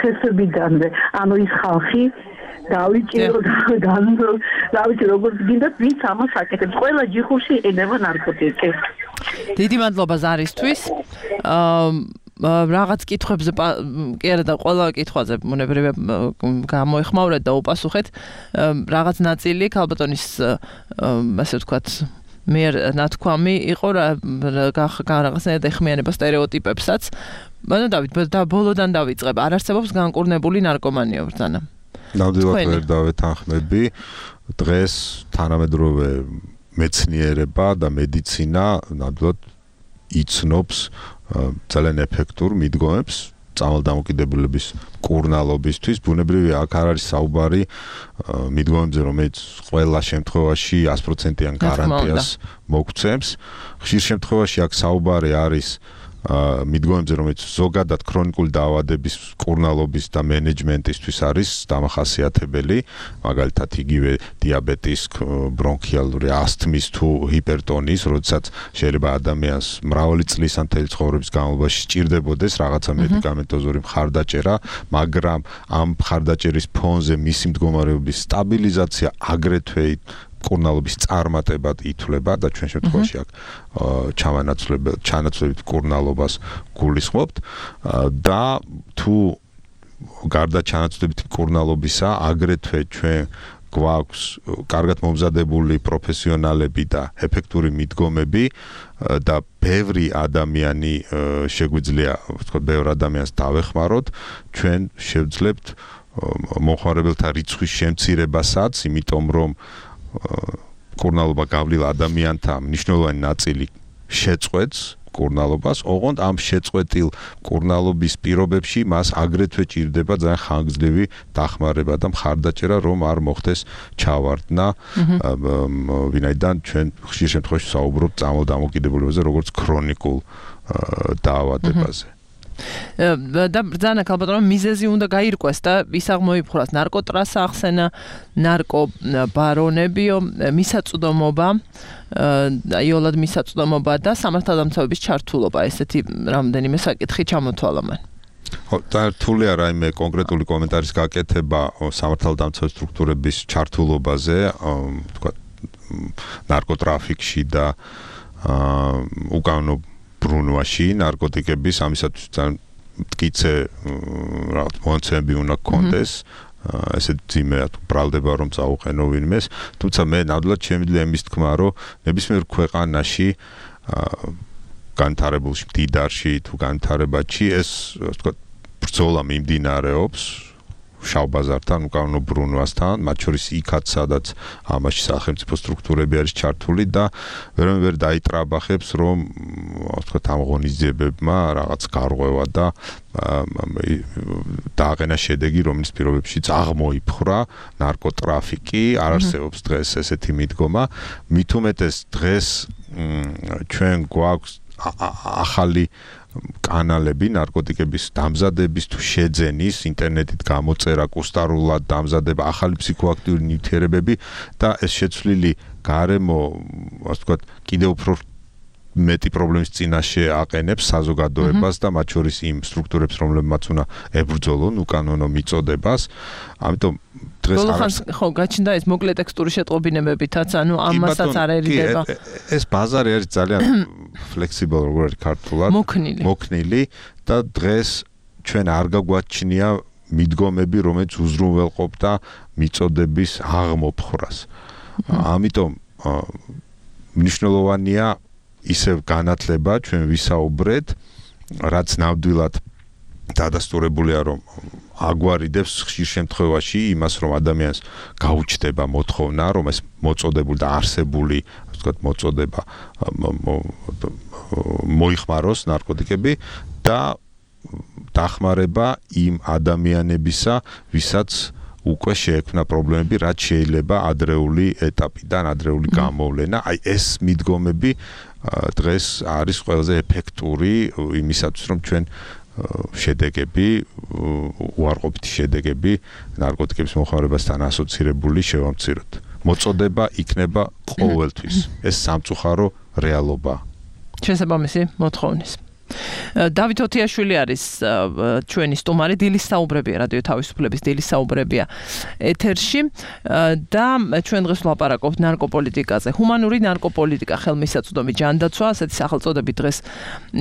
თესობიდანვე. ანუ ის ხალხი დავიჭირო როგორც გინდათ, ვინც ამას აკეთებს. ყველა ჯიხურში იყიდება ნარკოტიკი. დიდი მადლობა ზარისთვის. რაღაც კითხვებზე კი არა და ყველა კითხვაზე მონებრივე გამოეხმაურეთ და უპასუხეთ. რაღაც ნაწილი ქალბატონის ასე ვთქვათ მიერ ნათქვამი იყო რაღაცნაირად ეხმიანება სტერეოტიპებსაც. ანუ დავით, ბოლოდან დავიწყებ. არ არსებობს განკურნებული ნარკომანია ბრძანა. ნამდვილად ვერ დავეთანხმები. დღეს თანამედროვე მეცნიერება და მედიცინა ნამდვილად იცნობს ძალიან ეფექტურ მიდგომებს წამალდამოკიდებულების კურნალობისთვის. ბუნებრივია, აქ არ არის საუბარი მიდგომებზე, რომელიც ყველა შემთხვევაში 100%-იან გარანტიას მოგცემს. ხშირ შემთხვევაში აქ საუბარი არის მიდგომებზე, რომელიც ზოგადად ქრონიკული დაავადების კურნალობის და მენეჯმენტისთვის არის დამახასიათებელი, მაგალითად იგივე დიაბეტის, ბრონქიალური ასთმის თუ ჰიპერტონიის, როდესაც შეიძლება ადამიანს მრავალი წლის ან მთელი ცხოვრების განმავლობაში სჭირდებოდეს რაღაცა მედიკამენტოზური მხარდაჭერა, მაგრამ ამ მხარდაჭერის ფონზე მისი მდგომარეობის სტაბილიზაცია აგრეთვე კურნალობის წარმატებად ითვლება და ჩვენ შემთხვევაში აქ ჩანაცვლებით კურნალობას გულისხმობთ და თუ გარდა ჩანაცვლებით კურნალობისა აგრეთვე ჩვენ გვაქვს კარგად მომზადებული პროფესიონალები და ეფექტური მიდგომები და ბევრი ადამიანი შეგვიძლია ვთქვათ ბევრ ადამიანს დავეხმაროთ, ჩვენ შევძლებთ მომხმარებელთა რიცხვის შემცირებასაც, იმიტომ რომ კურნალობა გავლილ ადამიანთა მნიშვნელოვანი ნაწილი შეწყვეტს კურნალობას, ოღონდ ამ შეწყვეტილ კურნალობის პირობებში მას აგრეთვე ჭირდება ძალიან ხანგრძლივი დახმარება და მხარდაჭერა, რომ არ მოხდეს ჩავარდნა, ვინაიდან ჩვენ ხშირ შემთხვევაში საუბრობთ წამალდამოკიდებულებაზე, როგორც ქრონიკულ დაავადებაზე. და ბრძანა ქალბატონო მიზეზი უნდა გაირკვეს და ის აღმოიფხვრას ნარკოტრასა ახსენა, ნარკობარონებიო, მისაწვდომობა, იოლად მისაწვდომობა და სამართალდამცავების ჩართულობა, ესეთი რამდენიმე საკითხი ჩამოთვალა მან. და რთულია რაიმე კონკრეტული კომენტარის გაკეთება სამართალდამცავი სტრუქტურების ჩართულობაზე, თქვა ნარკოტრაფიკში და უკანონო ბრუნვაში ნარკოტიკების, ამისათვის ძალიან მტკიცე რაღაც მონაცემები უნდა გქონდეს, ესეთ ძიმე ბრალდება რომ წაუყენო ვინმეს, თუმცა მე ნამდვილად შემიძლია იმის თქმა, რომ ნებისმიერ ქვეყანაში განვითარებულში, მდიდარში თუ განვითარებაში ეს ვთქვათ ბრძოლა მიმდინარეობს შავ ბაზართან, უკანონო ბრუნვასთან, მათ შორის იქაც, სადაც ამაში სახელმწიფო სტრუქტურები არის ჩართული და ვერ დაიტრაბახებს, რომ ვთქვათ ამ ღონისძიებებმა რაღაც გარღვევა და დააყენა შედეგი, რომლის პირობებშიც აღმოიფხვრა ნარკოტრაფიკი, არ არსებობს დღეს ესეთი მიდგომა, მით უმეტეს დღეს ჩვენ გვაქვს ახალი კანალები ნარკოტიკების დამზადების თუ შეძენის, ინტერნეტით გამოწერა, კუსტარულად დამზადება, ახალი ფსიქოაქტიური ნივთიერებები და ეს შეცვლილი გარემო, ასე ვთქვათ, კიდევ უფრო მეტი პრობლემის წინაშე აყენებს საზოგადოებას და მათ შორის იმ სტრუქტურებს, რომლებმაც უნდა ებრძოლონ უკანონო მიწოდებას. ამიტომ დღეს ხო, გაჩნდა ეს მოკლე ტექსტური შეტყობინებებითაც, ანუ ამასაც არ ერიდება. ეს ბაზარი არის ძალიან flexible, როგორ არის ქართულად, მოქნილი და დღეს ჩვენ არ გაგვაჩნია მიდგომები, რომელიც უზრუნველყოფდა მიწოდების აღმოფხვრას. ამიტომ მნიშვნელოვანია ისევ განათლება, ჩვენ ვისაუბრეთ, რაც ნამდვილად დადასტურებულია, რომ აგვარიდებს ხშირ შემთხვევაში იმას, რომ ადამიანს გაუჩნდება მოთხოვნა, რომ ეს მოწოდებული და არსებული, ასე ვთქვათ, მოწოდება მოიხმაროს ნარკოტიკები და დახმარება იმ ადამიანებისა, ვისაც უკვე შეექმნა პრობლემები, რაც შეიძლება ადრეული ეტაპიდან, ადრეული გამოვლენა. აი ეს მიდგომები დღეს არის ყველაზე ეფექტური იმისათვის, რომ ჩვენ შედეგები, უარყოფითი შედეგები ნარკოტიკების მოხმარებასთან ასოცირებული შევამციროთ. მოწოდება იქნება ყოველთვის. ეს სამწუხარო რეალობაა. შესაბამისი მოთხოვნის. დავით ოთიაშვილი არის ჩვენი სტუმარი, დილის საუბრებია, რადიო თავისუფლების დილის საუბრებია ეთერში და ჩვენ დღეს ვლაპარაკობთ ნარკოპოლიტიკაზე. ჰუმანური ნარკოპოლიტიკა, ხელმისაწვდომი ჯანდაცვა, ასეთი სახელწოდებით დღეს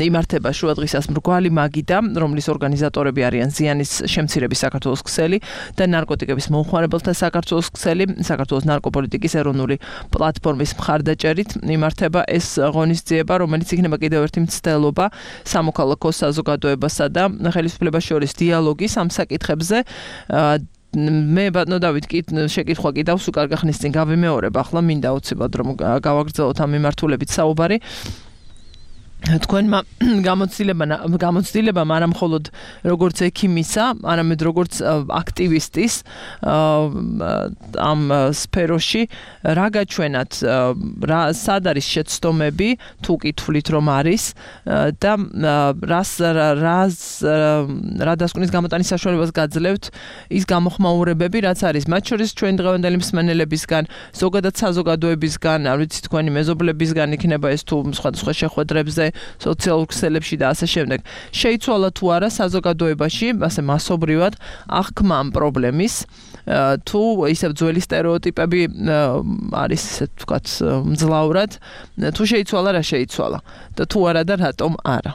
იმართება შუადღისას მრგვალი მაგიდა, რომლის ორგანიზატორები არიან ზიანის შემცირების საქართველოს ქსელი და ნარკოტიკების მომხმარებელთა საქართველოს ქსელი, საქართველოს ნარკოპოლიტიკის ეროვნული პლატფორმის მხარდაჭერით იმართება ეს ღონისძიება, რომელიც იქნება კიდევ ერთი მცდელობა სამოქალაქო საზოგადოებასა და ხელისუფლებას შორის დიალოგის ამ საკითხებზე. მე ბატონო დავით შეკითხვა კიდავს უკარ გახნის წინ გავიმეორებ, ახლა მინდა უცებად რომ გავაგრძელოთ ამ მიმართულებით საუბარი. თქვენმა გამოცდილებამ არა მხოლოდ როგორც ექიმისა, არამედ როგორც აქტივისტის ამ სფეროში რა გაჩვენათ, სად არის შეცდომები, თუ კითხვით რომ არის და რა დასკვნის გამოტანის საშუალებას გაძლევთ ის გამოხმაურებები, რაც არის მათ შორის ჩვენ დღევანდელი მსმენელებისგან, ზოგადად საზოგადოებისგან, არ ვიცი თქვენი მეზობლებისგან იქნება ეს თუ სხვადასხვა შეხვედრებზე სოციალურ ქსელებში და ასე შემდეგ. შეიცვალა თუ არა საზოგადოებაში, ასე მასობრივად აღქმა ამ პრობლემის, თუ ისევ ძველი სტერეოტიპები არის ესე ვთქვათ მძლავრად, თუ შეიცვალა რა შეიცვალა და თუ არა და რატომ არა.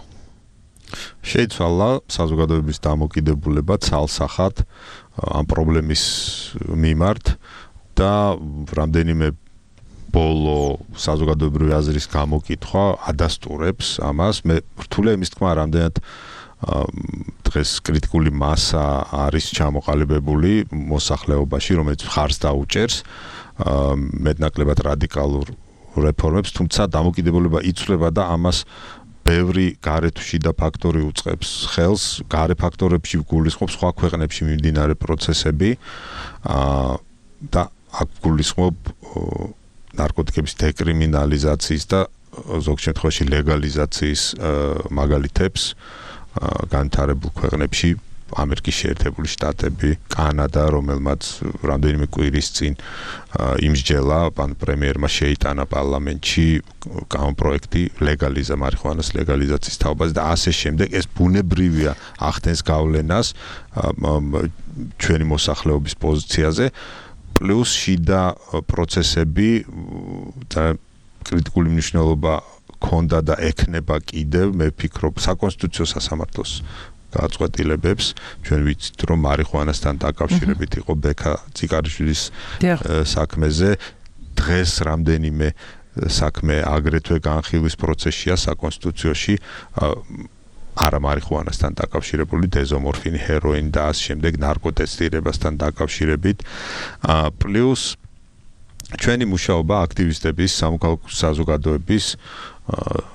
შეიცვალა საზოგადოების დამოკიდებულება ცალსახად ამ პრობლემის მიმართ და რამდენიმე ბოლო საზოგადოებრივი აზრის გამოკითხვა ადასტურებს ამას. მე რთულია იმის თქმა, რამდენად დღეს კრიტიკული მასა არის ჩამოყალიბებული მოსახლეობაში, რომელიც ხარს დაუჭერს მეტნაკლებად რადიკალურ რეფორმებს, თუმცა დამოკიდებულება იცვლება და ამას ბევრი გარეთ შიდა ფაქტორი უწყებს ხელს, გარე ფაქტორებში გულისხმობს სხვა ქვეყნებში მიმდინარე პროცესები და აქ გულისხმობ ნარკოტიკების დეკრიმინალიზაციის და ზოგ შემთხვევაში ლეგალიზაციის მაგალითებს განვითარებულ ქვეყნებში, ამერიკის შეერთებული შტატები, კანადა, რომელმაც რამდენიმე კვირის წინ იმსჯელა, პრემიერმა შეიტანა პარლამენტში კანონპროექტი მარიხუანას ლეგალიზაციის თაობაზე და ასე შემდეგ. ეს ბუნებრივია ახდენს გავლენას ჩვენი მოსახლეობის პოზიციაზე. პლუს შიდა პროცესები და კრიტიკული მნიშვნელობა ქონდა და ექნება კიდევ, მე ვფიქრობ, საკონსტიტუციო სასამართლოს გაწყვეტილებებს. ჩვენ ვიცით, რომ მარიხუანასთან დაკავშირებით იყო ბექა ციკარიშვილის საქმეზე. დღეს რამდენიმე საქმე აგრეთვე განხილვის პროცესშია საკონსტიტუციაში, არა მარიხუანასთან დაკავშირებული, დეზომორფინი, ჰეროინი და ამ შემდეგ ნარკოტესტირებასთან დაკავშირებით. პლუს ჩვენი მუშაობა აქტივისტების, სამოქალაქო საზოგადოების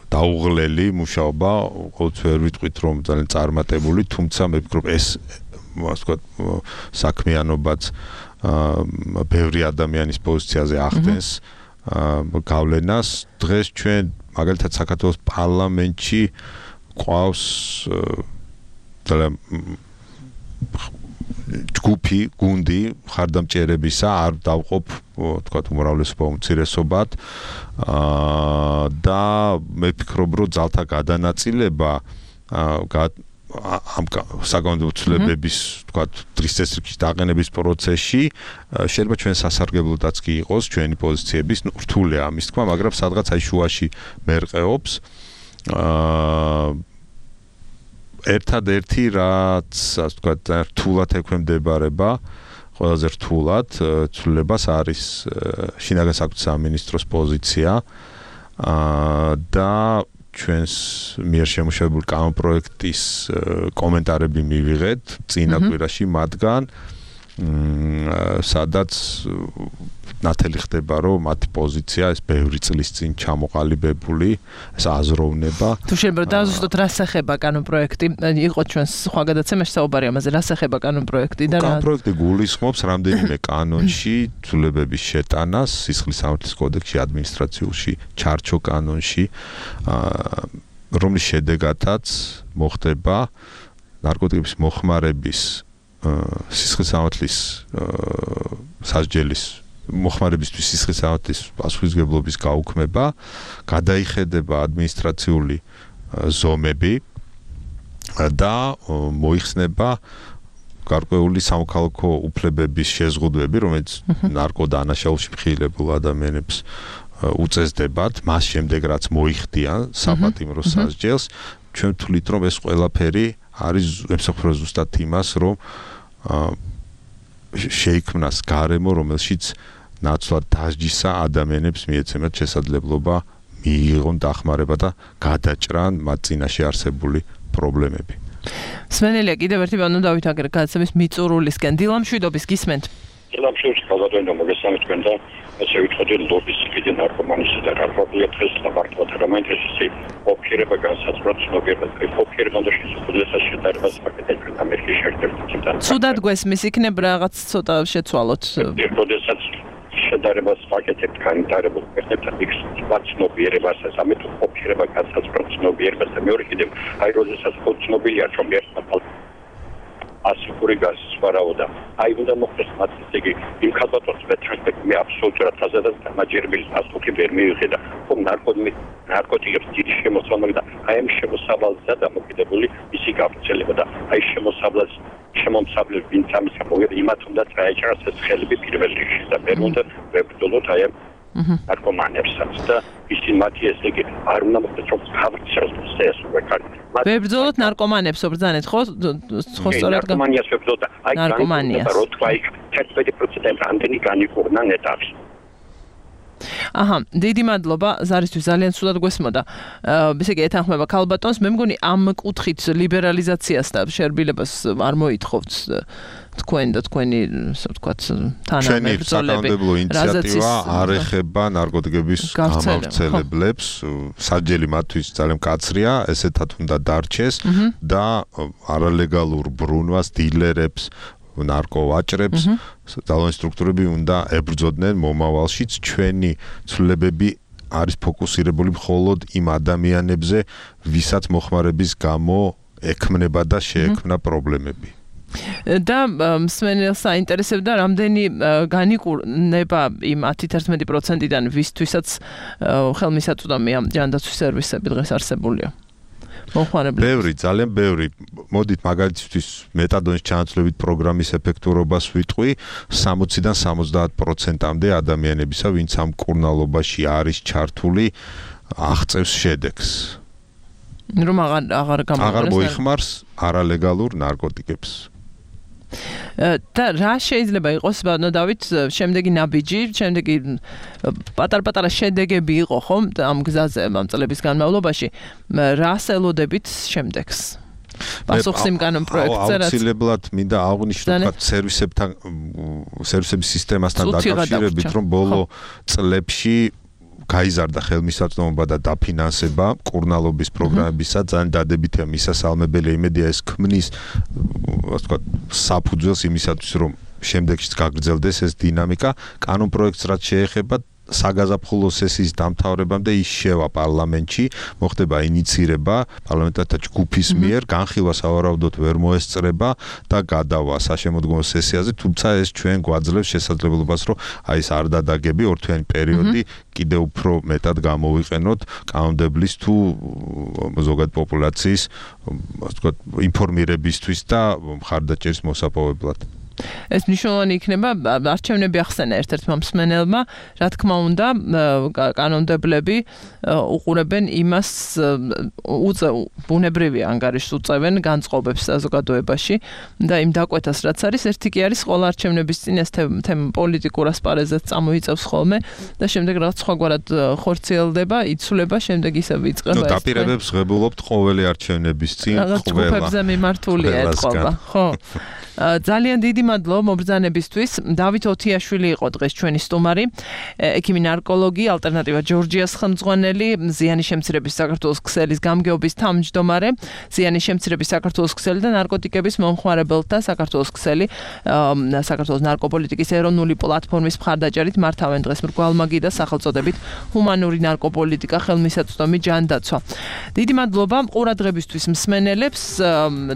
დაუღლელი მუშაობა, ყოველთვის ვერ ვიტყვით რომ ძალიან წარმატებული, თუმცა მე ვფიქრობ ეს ვთქვათ საქმიანობაც ბევრი ადამიანის პოზიციაზე ახდენს გავლენას. დღეს ჩვენ მაგალითად საქართველოს პარლამენტში ყავს ჯგუფი, გუნდი ხარდამჭერებისა, არ დავყოფ თქვათ უმრავლესობა უმცირესობად და მე ვფიქრობ, რომ ძალთა გადანაწილება ამ საკანონმდებლობის თქვათ დღის წესრიგის დაყენების პროცესში შეიძლება ჩვენ სასარგებლოდაც კი იყოს ჩვენი პოზიციების, რთულია ამის თქმა, მაგრამ სადღაც აი შუაში მერყეობს. ერთადერთი რაც ასე ვთქვათ რთულად ექვემდებარება, ყველაზე რთულად ცვლილებას არის შინაგან საქმეთა სამინისტროს პოზიცია და ჩვენს მიერ შემუშავებული კანონპროექტის კომენტარები მივიღეთ წინა კვირაში მათგან, სადაც ნათელი ხდება, რომ მათი პოზიცია ეს ბევრი წლის წინ ჩამოყალიბებული, ეს აზროვნება. თუ შეიძლება დააზუსტოთ რა სახება კანონპროექტი, იყო ჩვენს სხვა გადაცემაში საუბარი ამაზე, რა სახება კანონპროექტი და რა კანონპროექტი გულისხმობს რამდენიმე კანონში ცვლილებების შეტანას, სისხლის სამართლის კოდექსში, ადმინისტრაციულში, ჩარჩო კანონში, რომლის შედეგადაც მოხდება ნარკოტიკების მოხმარების სისხლის სამართლის სასჯელის მოხმარებისთვის სისხლის სამართლის პასუხისმგებლობის გაუქმება, გადაიხედება ადმინისტრაციული ზომები, და მოიხსნება გარკვეული სამოქალაქო უფლებების შეზღუდვები, რომელიც ნარკოდანაშაულში მხილებულ ადამიანებს უწესდებათ, მას შემდეგ რაც მოიხდიან საპატიმრო სასჯელს, ჩვენ ვთვლით, რომ ეს ყველაფერი არის ემსახურება ზუსტად იმას, რომ შეიქმნას გარემო, რომელშიც ნაცვლად დასჯისა ადამიანებს მიეცემათ შესაძლებლობა მიიღონ დახმარება და გადაჭრან მათ წინაშე არსებული პრობლემები. სმენელია კიდევ ერთი ბანო დავით აგერ გადაცემის მიწურულისკენ დილამშვიდობის გისმენთ. დილამშვიდობის ხალხადენო მოგესალმებით თქვენ და ესე ვიტყოდი ლობის კიდე ნარკომანისა და რარბობიათეს და მართლად რამაინტერესი ოფერება განსაცდელად ცნობიერება ოფერება და შესაძლებლობას შედარებას პაკეტებში ამერიკის შეერთებულ ცუდად გვესმის იქნებ რაღაც ცოტა შეცვალოთ. როდესაც შედარებას პაკეტებს განვითარებულ ქვეყნებთან იქ ცნობიერებას ამით ოფერება განსაცდელად ცნობიერებას და მეორე კიდევ აი როდესაც ცნობილია რომ ერთმა ასიკური გასვარაუდა. აი უნდა მოხდეს მათ ისე იმ ქალბატონს მეტრანსპექტი მე აბსოლუტურად აზადად დამაჯერებელი ასკუთი ვერ მივიღე და ხომ ნარკოტიკებს დიდი შემოსავალი და აი ამ შემოსავალზე დამოკიდებული ისი გავრცელება და აი შემომსავლელი ვინც ამის გამოგება იმათ უნდა წაეჭრას ეს ხელები პირველ რიგში და მე უნდა ვებრძოლოთ აი ამ ნარკომანებსაც და ისინი მათი ესე იგი არ უნდა მოხდეს რომ გავრცელოს ეს ვეკარი ვებრძოლოთ ნარკომანებს ობრძანეთ ხო სწორად ნარკომანიას ვებრძოლოთ აი ნარკომანიას რო თქვა იქ 10% ამდენი განიკურნა ნეტავში აჰა, დიდი მადლობა ზარისთვის ძალიან სულად გვესმოდა. ესე იგი ეთანხმება ქალბატონს, მე მგონი ამ კუთხით ლიბერალიზაციას და შერბილებას არ მოითხოვთ თქვენ და თქვენი, ასე ვთქვათ, თანამებრძოლები. ჩვენი საკანონმდებლო ინიციატივა არ ეხება ნარკოტიკების გამავრცელებლებს, საჯელი მათთვის ძალიან მკაცრია, ესეთად უნდა დარჩეს და არალეგალურ ბრუნვას დილერებს ნარკოვაჭრებს ძალოვანი სტრუქტურები უნდა ებრძოდნენ მომავალშიც ჩვენი ცვლილებები არის ფოკუსირებული მხოლოდ იმ ადამიანებზე ვისაც მოხმარების გამო ექმნება და შეექმნა პრობლემები და მსმენელს აინტერესებდა რამდენი განიკურნება იმ 10-11%-დან ვისთვისაც ხელმისაწვდომია ჯანდაცვის სერვისები დღეს არსებულია ბევრი, ძალიან ბევრი. მოდით მაგალითისთვის მეტადონის ჩანაცვლებით პროგრამის ეფექტურობას ვიტყვი 60-დან 70%-მდე ადამიანებისა, ვინც ამ კურნალობაში არის ჩართული, აღწევს შედეგს. რომ აღარ მოიხმარს არალეგალურ ნარკოტიკებს. და რა შეიძლება იყოს ბანო დავით შემდეგი ნაბიჯი, შემდეგი პატარ-პატარა შედეგები იყო ხომ ამ გზაზე ამ წლების განმავლობაში, რას ელოდებით შემდეგს? პასუხს იმ კანონ პროექტზე რაც აუცილებლად მინდა აღვნიშნო სერვისების სისტემასთან დაკავშირებით, რომ ბოლო წლებში გაიზარდა ხელმისაწვდომობა და დაფინანსება კურნალობის პროგრამებისა, ძალიან დადებითია მისასალმებელი იმედია ეს ქმნის ასე ვთქვათ საფუძველს იმისათვის რომ შემდეგშიც გაგრძელდეს ეს დინამიკა კანონ პროექტს რაც შეეხება საგაზაფხულო სესიის დამთავრებამდე ის შევა პარლამენტში, მოხდება ინიცირება პარლამენტართა ჯგუფის მიერ, განხილვა სავარაუდოდ ვერ მოესწრება და გადავა საშემოდგომო სესიაზე, თუმცა ეს ჩვენ გვაძლევს შესაძლებლობას, რომ აი ეს არ დადაგები ორთვიანი პერიოდი კიდევ უფრო მეტად გამოვიყენოთ კანონმდებლის თუ ზოგად პოპულაციის, ასე ვთქვათ, ინფორმირებისთვის და მხარდაჭერის მოსაპოვებლად. ეს მნიშვნელოვანი იქნება არჩევნები ახსენა ერთ-ერთმა მსმენელმა, რა თქმა უნდა, კანონმდებლები უყურებენ იმას ბუნებრივი ანგარიშს უწევენ განწყობებს საზოგადოებაში და იმ დაკვეთას რაც არის, ერთი კი არის ყველა არჩევნების წინ ეს თემა პოლიტიკურ ასპარეზად წამოიწევს ხოლმე და შემდეგ რაღაც სხვაგვარად ხორციელდება, იცვლება, შემდეგ ისევ იწყება ეს. დაპირებებს ღებულობთ ყოველი არჩევნების წინ ყველა. ჯგუფებზე მიმართულია ეთყობა, ხო? ძალიან დიდი მადლობა მობრძანებისთვის. დავით ოთიაშვილი იყო დღეს ჩვენი სტუმარი, ექიმი ნარკოლოგი, ალტერნატივა ჯორჯიას ხელმძღვანელი, ზიანის შემცირების საქართველოს ქსელის გამგეობის თავმჯდომარე, ზიანის შემცირების საქართველოს ქსელი და ნარკოტიკების მომხმარებელთა საქართველოს ქსელი, საქართველოს ნარკოპოლიტიკის ეროვნული პლატფორმის მხარდაჭერით მართავენ დღეს მრგვალმაგი და სახელწოდებით ჰუმანური ნარკოპოლიტიკა ხელმისაწვდომი ჯანდაცვა. დიდი მადლობა ყურადღებისთვის მსმენელებს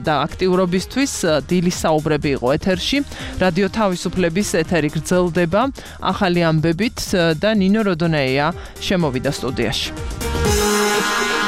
და აქტიურობისთვის. დილის საუბრები იყო ეთერში. რადიო თავისუფლების ეთერი გრძელდება ახალი ამბებით და ნინო როდონეია შემოვიდა სტუდიაში.